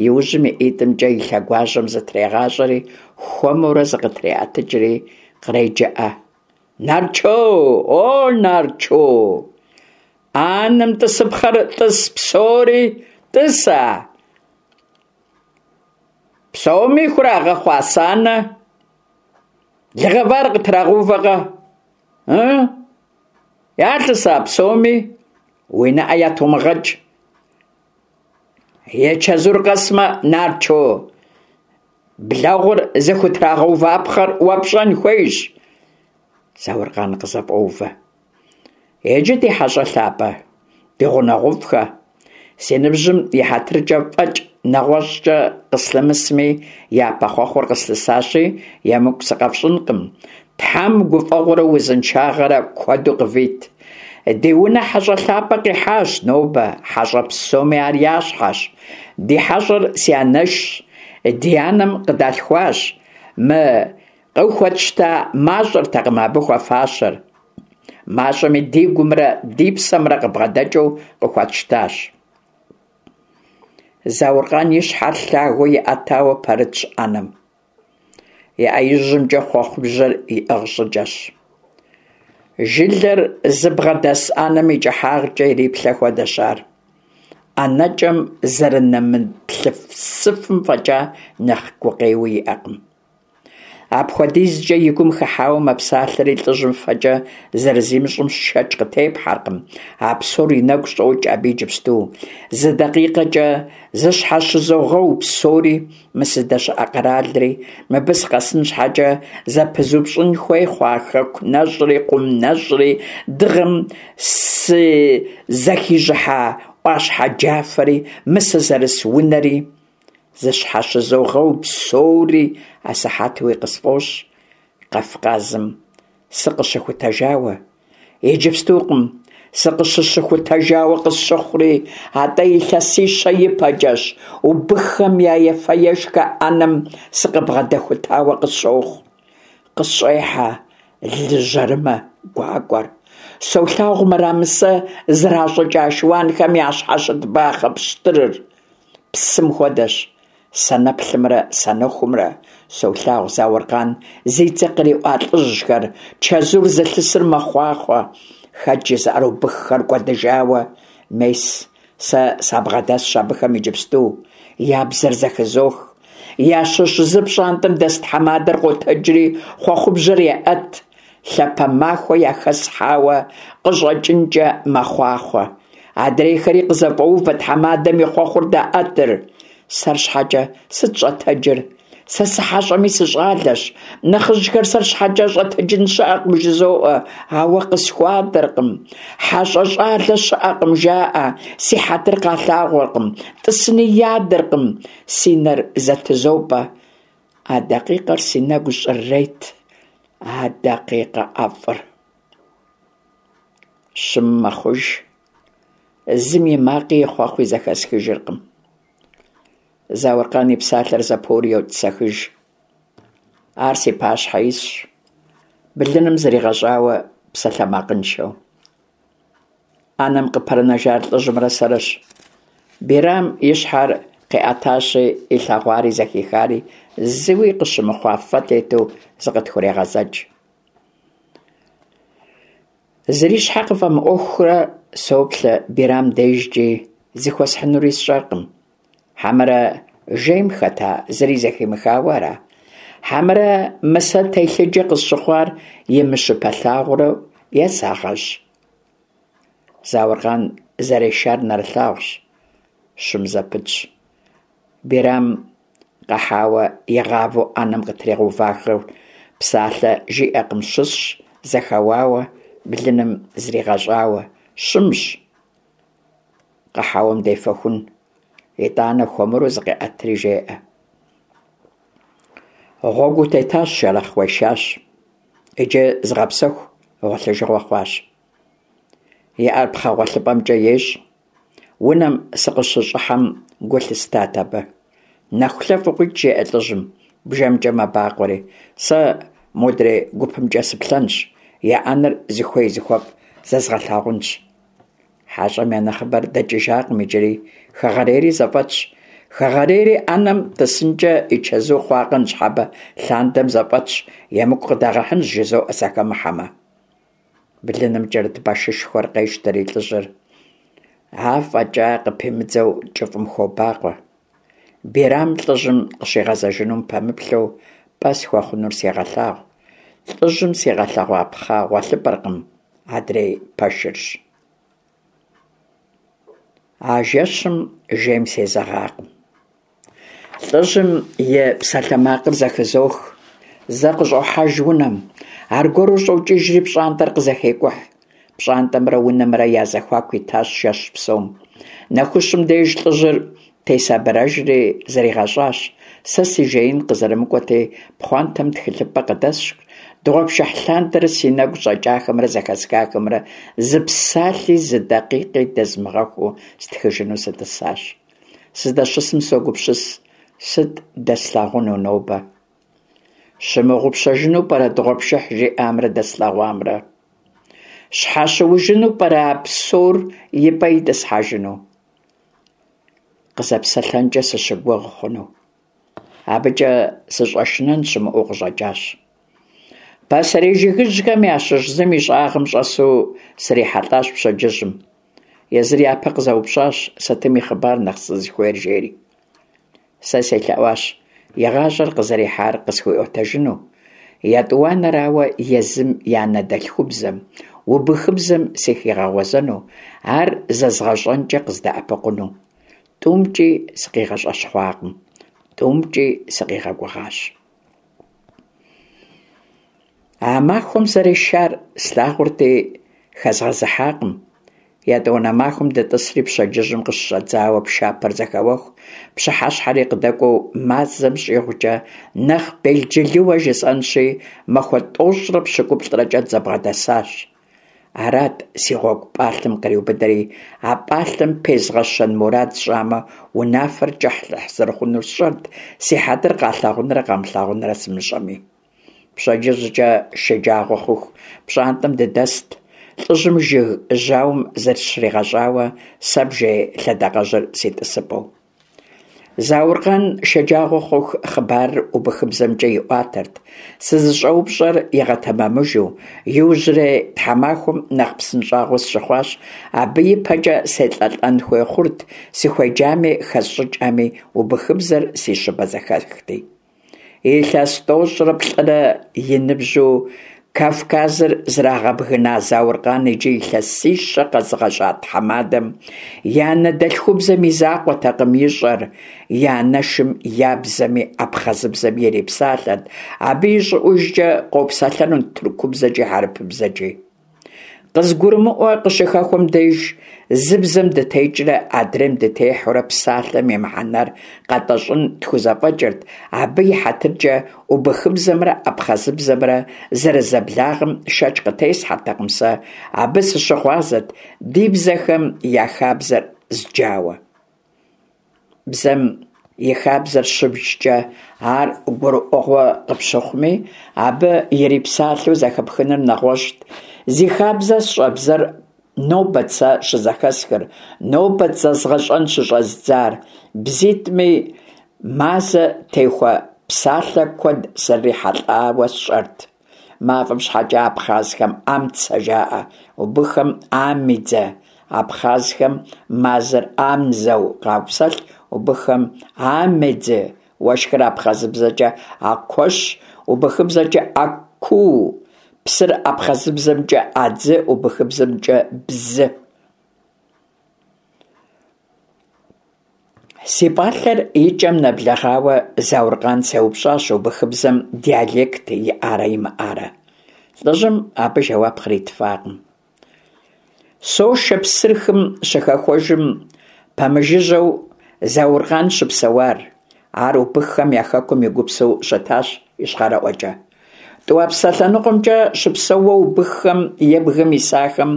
Иужьым и ӏитӏымкӏэ и лъэгуажьэм зытрегъащӏэри, хуэмурэ зыкъытреӏэтыкӏри къреджэӏэ. Нарчо! О, Нарчо! Ӏэнэм тӏысыпхъэр тӏыс псори, тӏыса? Псоми хурагъэхъуа санэ? Лы гъэвар къытрагъэувэкъэ? Ы? Ялъыса псоми? Уи нэӏэ ятумыгъэкӏ. И чэзур къэсмэ, Нарчо, блэгъур зыхутрагъэувапхъэр уэ пщӏэн хуейщ. Зауркъан къызэфӏоувэ. Иджы, ди хьэщӏэ лъапӏэ, ди гъунэгъуфӏхэ, си ныбжьым и хьэтыркӏэ фӏэкӏ нэгъуэщӏкӏэ къыслъымысми, япэ хъуэхъур къыслъысащи, емыкӏу сыкъэфщӏынкъым. Тхьэм гуфӏэгъуэрэ узыншагъэрэ куэду къывит. Ди унэ хьэщӏэ лъапӏэ къихьащ нобэ, хьэщӏэ псоми ар я щхьэщ. Ди хьэщӏэр си анэшщ, ди анэм къыдалъхуащ. Мы къыхуэтщта мащӏэртэкъым абы хуэфащэр. Мащӏэми ди гумрэ ди псэмрэ къыбгъэдэкӏыу къыхуэтщтащ. Зауркъан и щхьэр лъагэу иӏэтауэ пэрытщ ӏэнэм. И ӏэ ижьымкӏэ хъуэхъубжьэр иӏыгъ щӏыкӏэщ. Жылэр зыбгъэдэс ӏэнэм и кӏыхьагъкӏэ ириплъэ хуэдэщ ар. ӏэнэкӏэм зэрынэмыплъысыфым фӏэкӏа нэхъ гукъеуи иӏэкъым. Апхуэдизкӏэ и гум хыхьауэ мэпсалъэри, лӏыжьым фэкӏэ зэрызимыщӏым шэч къытепхьэркъым. А псор и нэгу щӏокӏ абы иджыпсту. Зы дакъикъэкӏэ зыщхьэщызогъэу псори, мы сыздэщыӏэ къэралри, мыбы сыкъэсын щхьэкӏэ зэпызупщӏын хуей хъуа хэку нэщӏри, къум нэщӏри, дыгъэм сызэхижьыхьа ӏуащхьэ джафэри, мы сызэрыс унэри. Зыщхьэщызогъэу псори асыхьэтуи къысфӏощӏ Кавказым сыкъыщыхутэжауэ. Иджыпстукъым сыкъыщыщыхутэжауэ къысщыхъури, атӏэ илъэсищэ ипэкӏэщ убыххэм я ефэ-ешхэ ӏэнэм сыкъыбгъэдэхутауэ къысщохъу. Къысщӏехьэ лы жьэрымэ гуакӏуэр. Солъагъу мырамысэ зращӏыкӏа шыуанхэм ящхьэщыт бахъэ пщтырыр. Псым хуэдэщ санэплъымрэ санэхумрэ. Солъагъу Зауркъан зи цӏэ къриӏуа лӏыжьхэр, чэзур зылъысыр мэхъуахъуэ. Хэт жызыӏэр убыххэр кӏуэдыжауэ? Мес, сэ сабгъэдэсщ абыхэм иджыпсту, я бзэр зэхызох. Ящыщ зы пщӏантӏэм дэс тхьэмадэр къотэджри хъуэхъубжьэр еӏэт, лъапэ махуэ яхэсхьауэ къыщӏэкӏынкӏэ мэхъуахъуэ. Адрейхэри къызэфӏоувэ, тхьэмадэм и хъуэхъур даӏэтыр. Сэр щхьэкӏэ сыт щӏэтэджыр? Сэ сыхьэщӏэми сыщӏалэщ. Нэхъыжьхэр сэр щхьэкӏэ щӏэтэджын щыӏэкъым, жызоӏэ, ауэ къысхуадэркъым. Хьэщӏэ щӏалэ щыӏэкъым, жаӏэ, си хьэтыр къалъагъуркъым, тӏысыни ядэркъым, си нэр зэтызопӏэ. А дакъикъэр си нэгу щӏрырет, а дакъикъэ ӏэфӏыр. Щым мэхъуж, зым и макъи и хъуэхъуи зэхэсхыжыркъым. Зауркъан и псалъэр зэпоури йотӏысэхыж. Ар си пащхьэ исщ, блыным зригъэщӏауэ псалъэмакъыншэу. Ӏэнэм къыпэрынэжар лӏыжьымрэ сэрэщ. Бирам и щхьэр къиӏэтащи, илъэгъуари зэхихари зыуи къыщымыхъуа фэ тету зыкъытхурегъэзэкӏ. Зыри щхьэ къыфӏэмыӏуэхурэ соплъэ Бирам дежкӏи, зыхуэсхьынури сщӏэркъым. Хьэмэрэ жейм хэта зыри зэхимыхауэ ара? Хьэмэрэ мы сэ телъыджэ къысщыхъуар имыщыпэлъагъурэ е сагъэщӏ? Зауркъан зэрешар нэрылъагъущ, щым зэпытщ. Бирам къэхьауэ игъавэу ӏэнэм къытригъэувахэр псалъэ жиӏэкъым, щысщ, зэхэуауэ, блыным зригъэщӏауэ, щымщ. Къэхьэуэм дефэхун, итӏанэ хуэмурэ зыкъеӏэтри жеӏэ. Гъуэгу утетащ, Шэрэхъ, уешащ. Иджы зыгъэпсэху, гъуэлъыжыгъуэ хъуащ. И ӏэр пхъэ гъуэлъыпӏэмкӏэ ещӏ. Унэм сыкъыщыщӏыхьэм гу лъыстат абы. Нэхулъэфӏ укъикӏ, жеӏэ лӏыжьым, бжэмкӏэ мэбакъуэри. Сэ модрей гупымкӏэ сыплъэнщ, я ӏэнэр зыхуей-зыхуэфӏ зэзгъэлъагъунщ. Хьэщӏэм я нэхъыбэр дэкӏыжакъым иджыри, хэгъэрейри зэфӏэтщ. Хэгъэрейри ӏэнэм тӏысынкӏэ и чэзу хъуакъэ ныщхьэбэ лъандэм зэфӏэтщ, емыкӏу къыдагъэхьынщ, жызоӏэ сахэмыхьэмэ. Блыным кӏэрыт башышхуэр къещтэри лӏыжьыр афӏэкӏа къыпимыдзэу кӏыфӏым хобакъуэ. Бирам лӏыжьым къыщигъэзэжынум пэмыплъэу пӏэ схуэхъунур сегъэлъагъу. Лӏыжьым сигъэлъэгъуа пхъэ гъуэлъыпӏэркъым, адрей пэшырщ. А жэщым жейм сезэгъакъым. Лӏыжьым и псалъэмакъыр зэхызох. Зэ къыщӏохьэж унэм, аргуэру щӏокӏыжри пщӏантӏэр къызэхекӏухь. Пщӏантӏэмрэ унэмрэ я зэхуаку итащ жэщ псом. Нэхущым деж лӏыжьыр тесабырэжри зригъэщӏащ. Сэ си жеин къызэрымыкӏуэти, пхъуантэм тхылъымпӏэ къыдэсшхщ, дыгъуэпшыхь лъандэрэ си нэгу щӏэкӏахэмрэ зэхэсхахэмрэ зы псалъи зы дакъикъи дэзмыгъэхуу стхыжыну сытӏысащ. Сыздэщысым согупсыс, сыт дэслъагъуну нобэ? Щымыгъупщэжыну пӏэрэ дыгъуэпшыхь жиӏамрэ дэслъэгъуамрэ? Щхьэщыужыну пӏэрэ а псор и пӏэ итӏысхьэжыну? Къызэпсэлъэнкӏэ сыщыгугъ хъуну? Абыкӏэ сыщӏэшынэн щымыӏэу къыщӏэкӏащ. Пасэрей жыгыжьхэм ящыщ зым и щӏагъым щӏэсу срихьэлӏащ пщэдджыжьым. Езыр япэ къызэупщӏащ, сытым и хъыбар нэхъ сызыхуейр, жери. Сэ селъэӏуащ и гъащӏэр къызэрихьар къысхуиӏуэтэжыну, етӏуанэрауэ, езым и анэдэлъхубзэм, убыхыбзэм сыхигъэгъуэзэну, ар зэзгъэщӏэнкӏэ къыздэӏэпыкъуну. Тӏумкӏи сыкъигъэщӏэщхъуакъым, тӏумкӏи сыкъигъэгугъащ. А махуэм зэрешар слъагъурти, хэзгъэзыхьакъым. Етӏуанэ махуэм дытӏысри пщэдджыжьым къыщыщӏэдзауэ пшапэр зэхэуэху, пщыхьэщхьэри къыдэкӏуэу мазэм щӏигъукӏэ, нэхъ белджылыуэ жысӏэнщи, махуэ тӏощӏрэ пщыкӏуплӏрэкӏэ дызэбгъэдэсащ. Арат си гъуэгу пӏалъэм къриубыдэри, а пӏалъэм пезгъэщэн мурад сщӏамэ, унафэр кӏыхьлӏыхь зэрыхъунур сщӏэрт, си хьэтыр къалъагъунрэ къамылъагъунрэ сымыщӏэми. Пщэдджыжькӏэ шэджагъуэ хъуху пщӏантӏэм дыдэст, лӏыжьым жыг жьауэм зыщригъэщӏауэ, сэ бжей лъэдакъэжьыр си тӏысыпӏэу. Зауркъан шэджагъуэ хъуху хъыбарыр убыхыбзэмкӏэ иӏуатэрт, сызыщӏэупщӏэр игъэтэмэмыжу. Иужьрей тхьэмахуэм нэхъ псынщӏагъуэ сщыхъуащ, абы ипэкӏэ селӏэлӏэн хуей хъурт, сыхуеджами хэсщӏыкӏами, убыхыбзэр си щыпэзэхэхти. Илъэс тӏощӏрэ плӏырэ и ныбжьу Кавказыр зрагъэбгына Зауркъан иджы илъэсищэ къэзыгъэщӏа тхьэмадэм и анэдэлъхубзэм и закъуэтэкъым ищӏэр, и анэшым я бзэми абхъазыбзэми ирипсалъэрт, абы ищӏыӏужкӏэ къопсэлъэнут тыркубзэкӏи хьэрыпыбзэкӏи. Къызгурымыӏуэ къыщыхэхуэм деж, зы бзэм дытекӏрэ адрейм дытехьэурэ псалъэм и мыхьэнэр къэтӏэщӏын тхузэфӏэкӏырт, абы и хьэтыркӏэ убыхыбзэмрэ абхъазыбзэмрэ зэрызэблагъэм шэч къытесхьэртэкъым сэ, абы сыщыгъуазэт ди бзэхэм я хабзэр зджауэ. Бзэм и хабзэр щыбджкӏэ ар гурыӏуэгъуэ къыпщыхъуми, абы ирипсалъэу зэхэпхыныр нэгъуэщӏт. Зи хабзэ сщӏэ бзэр нобэт сэ щызэхэсхыр, нобэт зэзгъэщӏэн щыщӏэздзар. Бзитӏми мазэ техуэ псалъэ куэд сызэрырихьэлӏауэ сщӏэрт. Мафӏэм щхьэкӏэ абхъазхэм амцэ жаӏэ, убыххэм амидзэ. Абхъазхэм мазэр амзэу къапсэлъ, убыххэм амедзы. Уэшхыр абхъазыбзэкӏэ акуэщ, убыхыбзэкӏэ акуу. Псыр абхъазыбзэмкӏэ адзы, убыхыбзэмкӏэ бзы. Си пӏалъэр и кӏэм нэблэгъауэ Зауркъан сеупщӏащ убыхыбзэм диалект иӏарэ имыӏарэ. Лӏыжьым абы жэуап къритыфакъым. Сошэ псыр хым щыхэхуэжым пэмыжыжьэу Зауркъан щыпсэуар. Ар убыххэм я хэкум и гупсэу щытащ ищхъэрэӏуэкӏэ. Тӏуапсэ лъэныкъуэмкӏэ щыпсэууэ убыххэм е бгым исахэм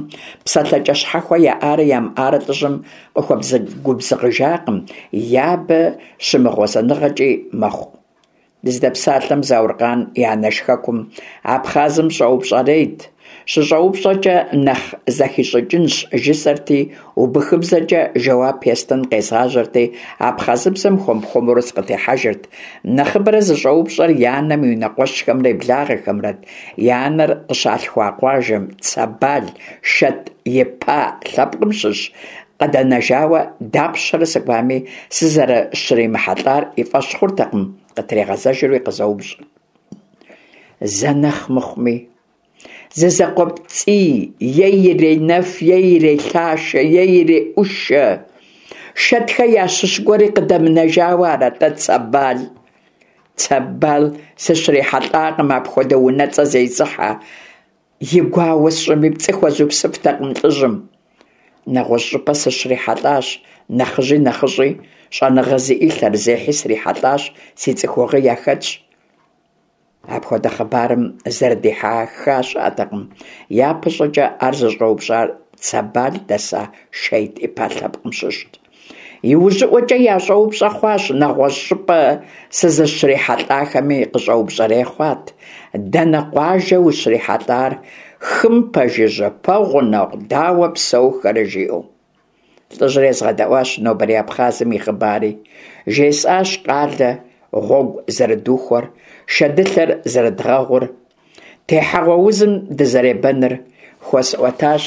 псэлъэкӏэ щхьэхуэ яӏарэ ямыӏарэ лӏыжьым къыхуэгубзыгъыжакъым, е абы щымыгъуэзэныгъэкӏи мэхъу. Дыздэпсалъэм Зауркъан и анэш хэкум, Абхъазым щӏэупщӏэрейт. Щыщӏэупщӏэкӏэ нэхъ зэхищӏыкӏынщ жысӏэрти, убыхыбзэкӏэ жэуап естын къезгъажьэрти, абхъазыбзэм хуэм-хуэмурэ сыкъытехьэжырт. Нэхъыбэрэ зыщӏэупщӏэр и анэм и унэкъуэщхэмрэ и благъэхэмрэт. И анэр къыщалъхуа къуажэм, Цэбал, Шэт-Ипа лъэпкъым щыщ, къыдэнэжауэ дапщэрэ сыкӏуами, сызэрыщримыхьэлӏар и фӏэщ хъуртэкъым, къытригъэзэжури къызэупщӏырт. Зэ нэхъ мыхъуми, зы закъуэпцӏий, е иренэф, е ирелъашэ, е иреӏушэ. Шэтхэ ящыщ гуэри къыдэмынэжауэ ара-тӏэ Цэбал? Цэбал сыщрихьэлӏакъым апхуэдэ унэцӏэ зезыхьэ. И гуауэ сщӏыми, пцӏы хуэзупсыфтэкъым лӏыжьым. Нэгъуэщӏ щӏыпӏэ сыщрихьэлӏащ нэхъыжьи нэхъыщӏи, щӏэныгъэ зиӏи лъэрызехьи срихьэлӏащ, си цӏыхугъи яхэтщ. Апхуэдэ хъыбарым зэрыдихьэха щыӏэтэкъым. Япэщӏыкӏэ ар зыщӏэупщӏар Цэбал дэса Шейт Ипа лъэпкъым щыщт. Иужьыӏуэкӏэ ящӏэупщӏэ хъуащ, нэгъуэщӏ щӏыпӏэ сызыщрихьэлӏахэми къыщӏэупщӏэрей хъуат. Дэнэ къуажэ ущрихьэлӏар, хым пэжыжьэ, пэгъунэгъу, дауэ псэухэрэ, жиӏэу. Лӏыжьыр езгъэдэӏуащ нобэрей Абхъазым и хъыбари. Жесӏащ къалэ гъуэгу зэрыдухуэр, шэдылъэр зэрыдгъэгъур, техьэгъуэ узым дызэребэныр. Хуэсӏуэтащ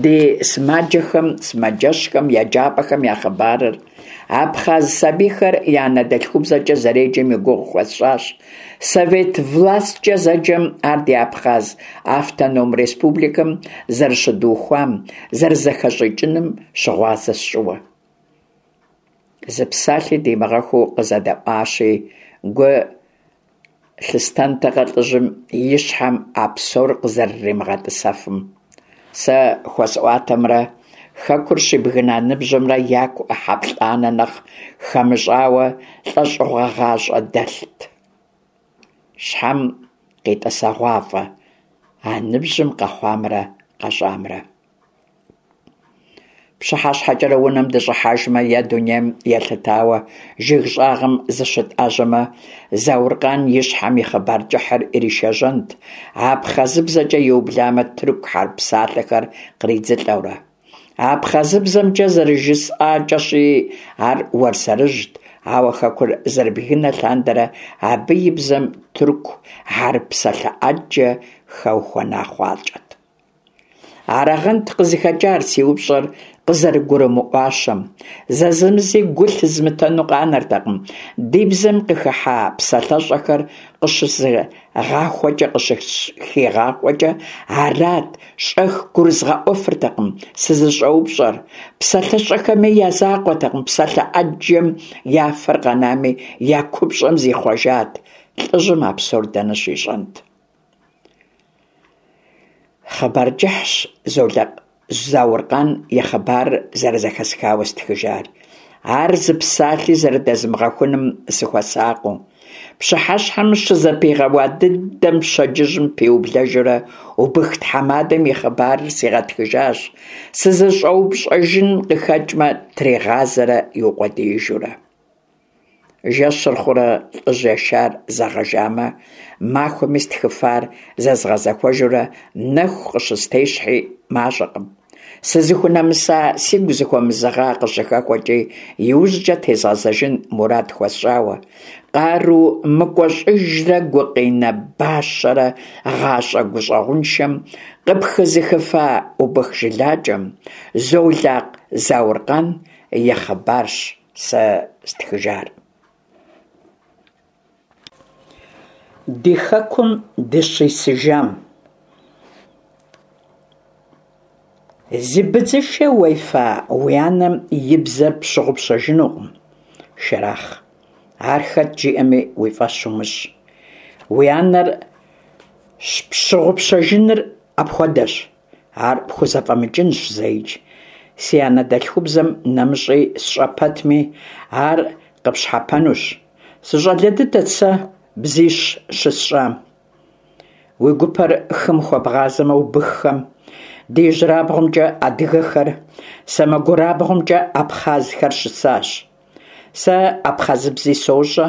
ди сымаджэхэм, сымаджэщхэм, еджапӏэхэм я хъыбарыр. Абхъаз сабийхэр я анэдэлъхубзэкӏэ зэреджэм и гугъу хуэсщӏащ. Совет власткӏэ зэджэм ар ди Абхъаз автоном республикэм зэрыщыдухуам, зэрызэхэщӏыкӏыным щыгъуазэ сщӏыуэ. Зы псалъи димыгъэхуу къызэдэӏуащи, гу лъыстэнтэкъэ лӏыжьым и щхьэм а псор къызэрыримыгъэтӏысэфым. Сэ хуэсӏуатэмрэ хэкур щибгына ныбжьымрэ яку ӏыхьэ плӏанэ нэхъ хэмыщӏауэ лӏэщӏыгъуэ гъащӏэ дэлът. Щхьэм къитӏэсэгъуафӏэ а ныбжьым къэхъуамрэ къэщӏамрэ. Пщыхьэщхьэкӏэрэ унэм дыщӏыхьэжмэ е дунейм елъытауэ жыг щӏагъым зыщытӏэжьэмэ, Зауркъан и щхьэм и хъыбар кӏыхьыр иришэжьэнт, абхъазыбзэкӏэ иубламэ, тырку хьэрып псалъэхэр къридзылӏэурэ. Абхъазыбзэмкӏэ зэрыжысӏакӏэщи, ар уэрсэрыжьт, ауэ хэкур зэрыбгынэ лъандэрэ абы и бзэм тырку хьэрып псалъэ ӏэджэ хэухуэна хъуакӏэт. Арагъэнт къызыхэкӏар си упщӏэр къызэрыгурымыӏуащэм. Зэзэмызи гу лъызмытэну къанэртэкъым, ди бзэм къыхыхьа псалъэщӏэхэр къыщызыгъахуэкӏэ, къыщыхигъахуэкӏэ, арат, щӏэх гурызгъэӏуэфыртэкъым сызыщӏэупщӏэр. Псалъэщӏэхэми я закъуэтэкъым, псалъэ ӏэджэм я фэр къэнами, я купщӏэм зихъуэжат. Лӏыжьым а псор дэнэ щищӏэнт? Хъыбар кӏыхьщ Золакъ Зауркъан и хъыбарыр зэрызэхэсхауэ стхыжар. Ар зы псалъи зэрыдэзмыгъэхуным сыхуэсакъыу. Пщыхьэщхьэм щызэпигъэуа дыдэм пщэдджыжьым пиублэжурэ убых тхьэмадэм и хъыбарыр сигъэтхыжащ, сызыщӏэупщӏэжын къыхэкӏмэ, тригъазэрэ иукъуэдиижурэ. Жэщыр хъурэ лӏыжь ешар зэгъэжамэ, махуэми стхыфар зэзгъэзэхуэжурэ нэху къыщыстещхьи мащӏэкъым. Сызыхунэмыса, сигу зыхуэмызэгъа къыщыхэхуэкӏи, иужькӏэ тезгъэзэжын мурад хуэсщӏауэ, къару мыкӏуэщӏыжрэ гукъинэ бащэрэ гъащӏэ гущӏэгъуншэм къыпхызыхыфа убых жылакӏэм, Золакъ Зауркъан и хъыбарщ сэ стхыжар. Ди хэкум дыщисыжам. Зи быдзышэ уефа уи анэм и бзэр пщыгъупщэжынукъым, Шэрахъ. Ар хэт жиӏэми уи фӏэщ умыщӏ. Уи анэр пщыгъупщэжыныр апхуэдэщ. Ар пхузэфӏэмыкӏынщ зэикӏ. Си анэдэлъхубзэм нэмыщӏи сщӏэ пэтми, ар къыпщхьэпэнущ. Сыщӏалэ дыдэт сэ бзищ щысщӏам. Уи гупэр хым хуэбгъазэмэ, убыххэм, ди ижьырабгъумкӏэ адыгэхэр, сэмэгурабгъумкӏэ абхъазхэр щысащ. Сэ абхъазыбзи сощӏэ,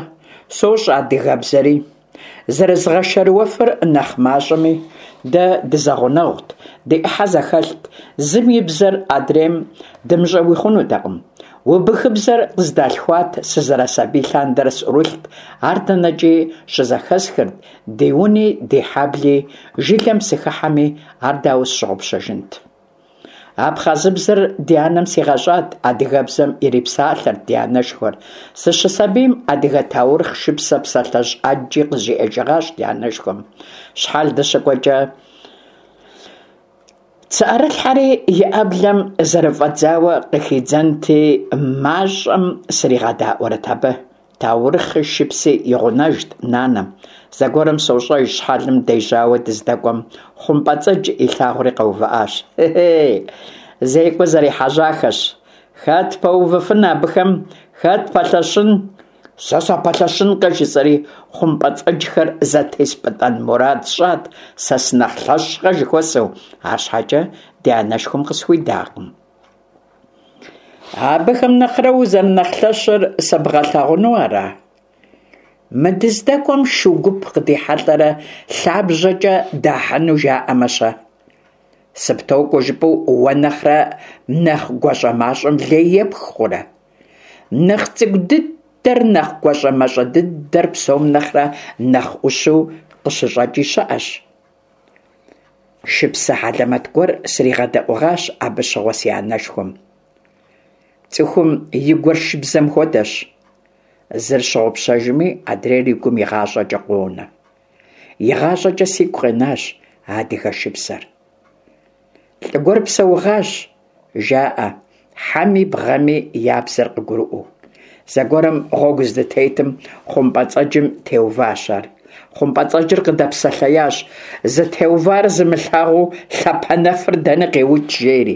сощӏэ адыгэбзэри. Зэрызгъэшэрыуэфыр нэхъ мащӏэми, дэ дызэгъунэгъут, ди ӏыхьэ зэхэлът, зым и бзэр адрейм дымыщӏэуи хъунутэкъым. Убыхыбзэр къыздалъхуат, сызэрысабий лъандэрэ сӏурылът, ар дэнэкӏи щызэхэсхырт, ди уни, ди хьэбли, жылэм сыхыхьэми, ар дауэ сщыгъупщэжынт? Абхъазыбзэр ди анэм сигъэщӏат, адыгэбзэм ирипсалъэрт ди анэшхуэр. Сыщысабийм адыгэ таурыхъ, шыпсэ, псалъэжь ӏэджи къызжиӏэжыгъащ ди анэшхуэм. Щхьэл дыщыкӏуэкӏэ цыӏэрылъхьэри и ӏэблэм зэрыфӏэдзауэ къыхидзэнти, мащӏэм сригъэдаӏуэрэт абы. Таурыхъи шыпси и гъунэжт нанэм. Зэгуэрым, сощӏэж, щхьэлым дежьауэ дыздэкӏуэм, хъумпӏэцӏэдж илъагъури къэувыӏащ. Хе-хей, зекӏуэ зэрехьэжьахэщ. Хэт пэувыфын абыхэм, хэт пэлъэщын? Сэ сапэлъэщынкъэ, жысӏэри, хъумпӏэцӏэджхэр зэтеспӏытӏэн мурад сщӏат, сэ сынэхъ лъэщкъэ жыхуэсӏэу, арщхьэкӏэ ди анэшхуэм къысхуидакъым. Абыхэм нэхърэ узэрынэхъ лъэщыр сэбгъэлъагъуну ара? Мы дыздэкӏуэм шу гуп къыдихьэлӏэрэ лъабжьэкӏэ дахьыну жаӏэмэ-щэ? Сыптокӏуэ жыпӏэу уэ нэхърэ нэхъ гуащӏэмащӏэм лей епх хъурэ? Нэхъ цӏыкӏу дыдэр, нэхъ гуащӏэмащӏэ дыдэр псом нэхърэ нэхъ ӏущу къыщыщӏэкӏи щыӏэщ. Шыпсэ хьэлэмэт гуэр сригъэдэӏугъащ абы щыгъуэ си анэшхуэм. Цӏыхум и гур шыбзэм хуэдэщ. Зыр щыгъупщэжми, адрейр и гум игъащӏэкӏэ къонэ. Игъащӏэкӏэ сигу къинащ а адыгэ шыпсэр. Лӏы гуэр псэугъащ, жаӏэ, хьэми бгъэми я бзэр къыгурыӏуэу. Зэгуэрым гъуэгу здытетым хъумпӏэцӏэджым теуващ ар. Хъумпӏэцӏэджыр къыдэпсэлъеящ, зытеувар зымылъагъуу лъапэнэфыр дэни къиукӏ, жери.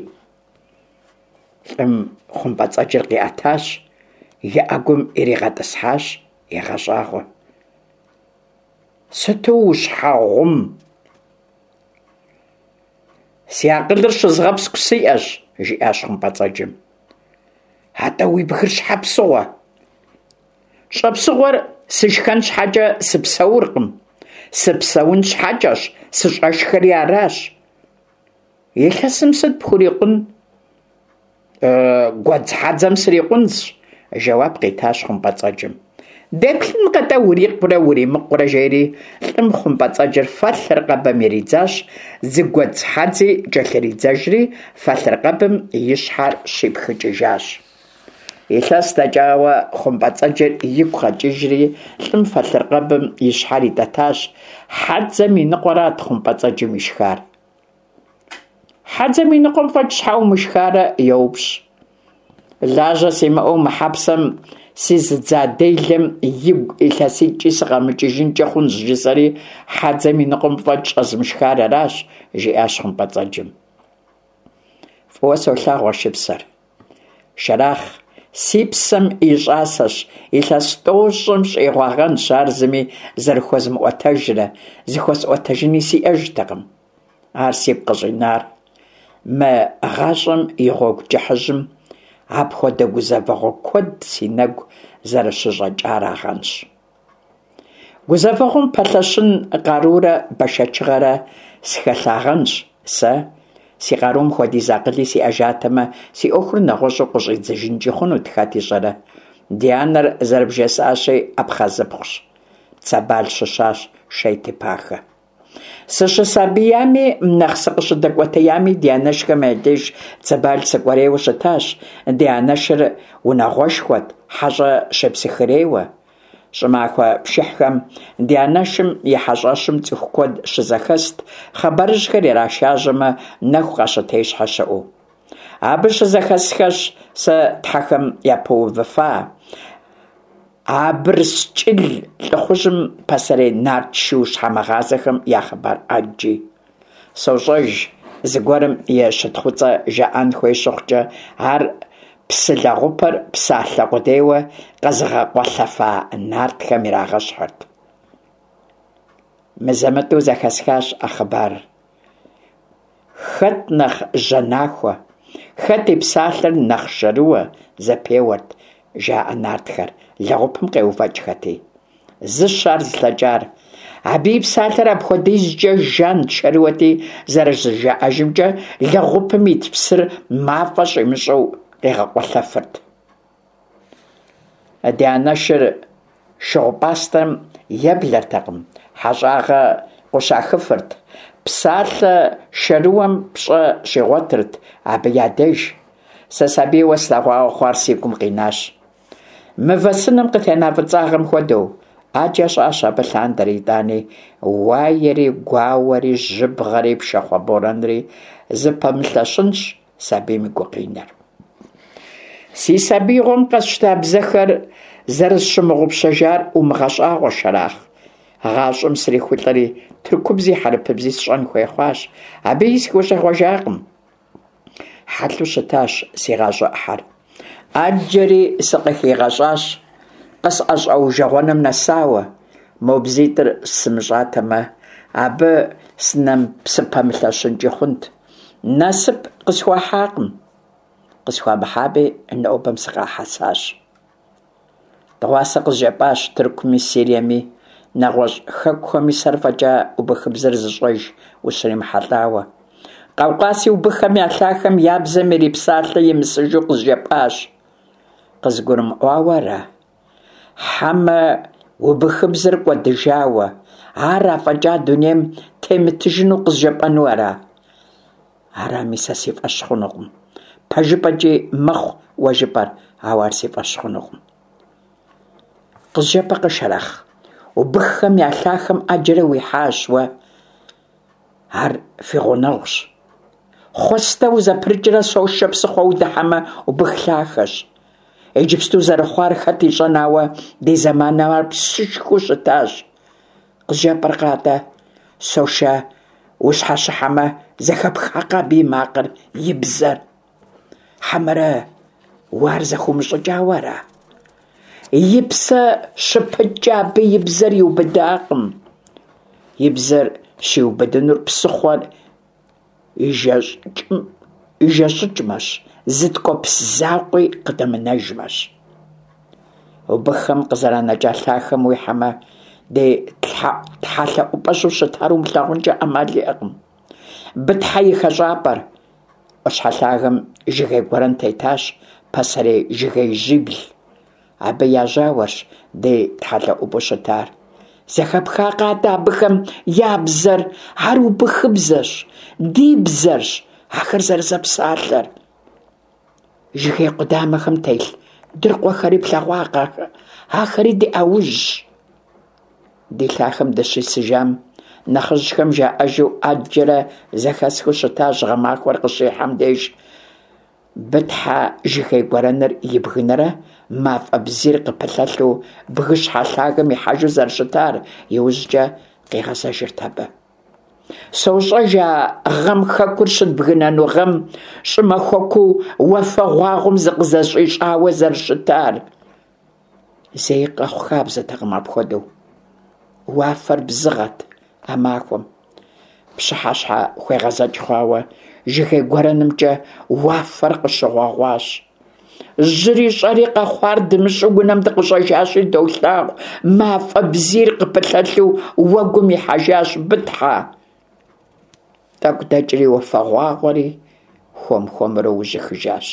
Лӏым хъумпӏэцӏэджыр къиӏэтащ, и ӏэгум иригъэтӏысхьащ, егъэщӏагъуэ. Сыту ущхьэгъум? Си акъылыр щызгъэпскӏу сиӏэщ, жиӏащ хъумпӏэцӏэджым. Атӏэ уи бгыр щхьэ псыгъуэ? Щӏэпсыгъуэр сышхэн щхьэкӏэ сыпсэуркъым, сыпсэун щхьэкӏэщ, сыщӏэшхэри аращ. Илъэсым сыт пхурикъун? Гуэдз хьэдзэм срикъунщ, жэуап къитащ хъумпӏэцӏэджым. Деплъынкъэ-тӏэ урикъурэ уримыкъурэ, жери лӏым хъумпӏэцӏэджыр фэлъыркъэбым иридзащ, зы гуэдз хьэдзи кӏэлъыридзэжри, фэлъыркъэбым и щхьэр щипхыкӏыжащ. Илъэс дэкӏауэ хъумпӏэцӏэджыр игу къэкӏыжри, лӏым фэлъыркъэбым и щхьэр итӏэтащ. Хьэдзэм и ныкъуэрат хъумпӏэцӏэджым ишхар. Хьэдзэм и ныкъуэм фӏэкӏ щхьэ умышхарэ? йоупщӏ. Лажьэ симыӏэу мы хьэпсэм сизыдза делэм игу илъэситӏкӏи сыкъэмыкӏыжынкӏэ хъунщ, жысӏэри хьэдзэм и ныкъуэм фӏэкӏ щӏэзмышхар аращ, жиӏащ хъумпӏэцӏэджым. Фӏыуэ солъагъу а шыпсэр. Шэрахъ, си псэм и щӏасэщ, илъэс тӏощӏым щӏигъуагъэнщ ар зыми зэрыхуэзмыӏуэтэжрэ, зыхуэсӏуэтэжыни сиӏэжтэкъым. Ар сигу къыщӏинар мы гъащӏэм и гъуэгу кӏыхьыжьым апхуэдэ гузэвэгъуэ куэд си нэгу зэрыщыщӏэкӏарагъэнщ. Гузэвэгъуэм пэлъэщын къарурэ бэшэчыгъэрэ схэлъагъэнщ сэ. Си къарум хуэдиз акъыли сиӏэжатэмэ, си ӏуэхур нэгъуэщӏу къыщӏидзыжынкӏи хъунут, хэт ищӏэрэ. Ди анэр, зэрыбжесӏащи, абхъазыпхъущ. Цэбал щыщащ Шейтепахэ. Сыщысабиями, нэхъ сыкъыщыдэкӏуэтеями ди анэшхэм я деж Цэбал сыкӏуэрейуэ щытащ. Ди анэшыр унагъуэшхуэт, хьэщӏэ щепсыхырейуэ. Щӏымахуэ пшыхьхэм ди анэшым и хьэщӏэщым цӏыху куэд щызэхэст, хъыбарыжьхэр ирашажьэмэ, нэху къащытещхьэ щыӏэу. Абы щызэхэсхэщ сэ тхьэхэм япэувыфа Абырскӏыл лӏыхъужьым пасэрей нарт шу щхьэмыгъазэхэм я хъыбар ӏэджи. Сощӏэж, зыгуэрым и щытхъуцӏэ жаӏэн хуей щыхъукӏэ, ар псы лэгъупыр псалъэ къудейуэ къэзыгъэкъуэлъэфа нартхэм ирагъэщхьырт. Мызэ-мытӏэу зэхэсхащ а хъыбарыр. Хэт нэхъ жьэнахуэ, хэт и псалъэр нэхъ шэрыуэ, зэпеуэрт, жаӏэ нартхэр, лэгъупым къеувэкӏхэти. Зыщ ар зылъэкӏар. Абы и псалъэр апхуэдизкӏэ жант, шэрыуэти, зэрыжаӏэжымкӏэ, лэгъупым ит псыр мафӏэ щӏимыщӏэу къигъэкъуэлъэфырт. Ди анэшыр шыгъупӏастэм еблэртэкъым, хьэщӏагъэ къущахыфырт, псалъэ шэрыуэм пщӏэ щигъуэтырт абы я деж. Сэ сабийуэ слъэгъуауэ хъуар си гум къинащ. Мывэ сыным къытена фӏыцӏагъэм хуэдэу, ӏэджэ щӏащ абы лъандэрэ итӏани, уаери, гуауэри, жьыбгъэри, пшахъуэ борэнри зыпэмылъэщынщ сабийм и гукъинэр. Си сабиигъуэм къэсщта бзэхэр зэрысщымыгъупщэжар умыгъэщӏагъуэ, Шэрахъ. Гъащӏэм срихулӏэри, тыркубзи хьэрыпыбзи сщӏэн хуей хъуащ. Абыи сыхущӏегъуэжакъым. Хьэлъэу щытащ си гъащӏэ ӏыхьэр. Ӏэджэри сыкъыхигъэщӏащ, къысӏэщӏэужэгъуэным нэсауэ. Мо бзитӏыр сымыщӏатэмэ, абы сыпэмылъэщынкӏи хъунт. Насып къысхуахьакъым. Къысхуамыхьами, нобэм сыкъахьэсащ. Дыгъуасэ къызжепӏащ Тыркуми, Сириеми, нэгъуэщӏ хэкухэми сэр фӏэкӏа убыхыбзэр зыщӏэж ущримыхьэлӏауэ. Къаукъази убыххэм я лъахэм я бзэм ирипсалъэ имысыжу къызжепӏащ. Къызгурымыӏуауэ ара? Хьэмэ убыхыбзэр кӏуэдыжауэ, ар афӏэкӏа дунейм темытыжыну къызжепӏэну ара? Арами, сэ си фӏэщ хъунукъым. Пэжыпӏэкӏи мэхъу уэ жыпӏэр, ауэ ар си фӏэщ хъунукъым. Къызжепӏэкъэ, Шэрэхъ, убыххэм я лъахэм ӏэджэрэ уихьащ уэ. Ар фи гъунэгъущ. Хъуэстэ узэпрыкӏрэ Сошэ псыхъуэ удыхьэмэ, убых лъахэщ. Иджыпсту зэрыхъуар хэт ищӏэн, ауэ ди зэманым ар псышхуэу щытащ. Къызжепӏэркъэ атӏэ, Сошэ ущхьэщыхьэмэ, зэхэпхакъэ абы и макъыр, и бзэр? Хьэмэрэ уэ ар зэхыумыщӏыкӏауэ ара? И псэ щыпыткӏэ абы и бзэр иубыдакъым. И бзэр щиубыдынур псыхъуэр ижэщӏыкӏмэщ, зы ткӏуэпс закъуи къыдэмынэжмэщ. Убыххэм къызэранэкӏа лъахэм уихьэмэ, ди тхьэлъэӏупӏэжьу щытар умылъагъункӏэ ӏэмал иӏэкъым. Бытхьэ и хэщӏапӏэр. ӏуащхьэ лъагэм жыгей гуэрэн тетащ, пасэрей жыгеижьибл. Абы я жьауэрщ ди тхьэлъэӏупӏэу щытар. Зэхэпхакъэ атӏэ абыхэм я бзэр? Ар убыхыбзэщ, ди бзэрщ ахэр зэрызэпсалъэр. Жыгей къудамэхэм телъ дыркъуэхэри плъэгъуакъэ? Ахэри ди ӏэужьщ. Ди лъахэм дыщисыжам, нэхъыжьхэм жаӏэжу ӏэджэрэ зэхэсхыу щытащ гъэмахуэр къыщихьэм деж Бытхьэ жыгей гуэрэныр ибгынэрэ мафӏэ бзийр къыпылъэлъу бгыщхьэ лъагэм ихьэжу зэрыщытар, иужькӏэ къигъэзэжырт абы. Сощӏэж а гъэм хэкур щыдбгынэну гъэм щӏымахуэкуу уафэгъуагъуэм зыкъызэщӏищӏауэ зэрыщытар. Зэи къэхъу хабзэтэкъым апхуэдэу. Уафэр бзыгъэт а махуэм. Пщыхьэщхьэ хуегъэзэкӏ хъуауэ жыгей гуэрэнымкӏэ уафэр къыщыгъуэгъуащ. Жьыри щӏэри къэхъуар дымыщӏэу унэм дыкъыщӏэжащи долъагъу, мафӏэ бзийр къыпылъэлъу уэгум ихьэжащ Бытхьэ. Тӏэкӏу дэкӏри уафэгъуагъуэри хуэм-хуэмурэ ужьыхыжащ.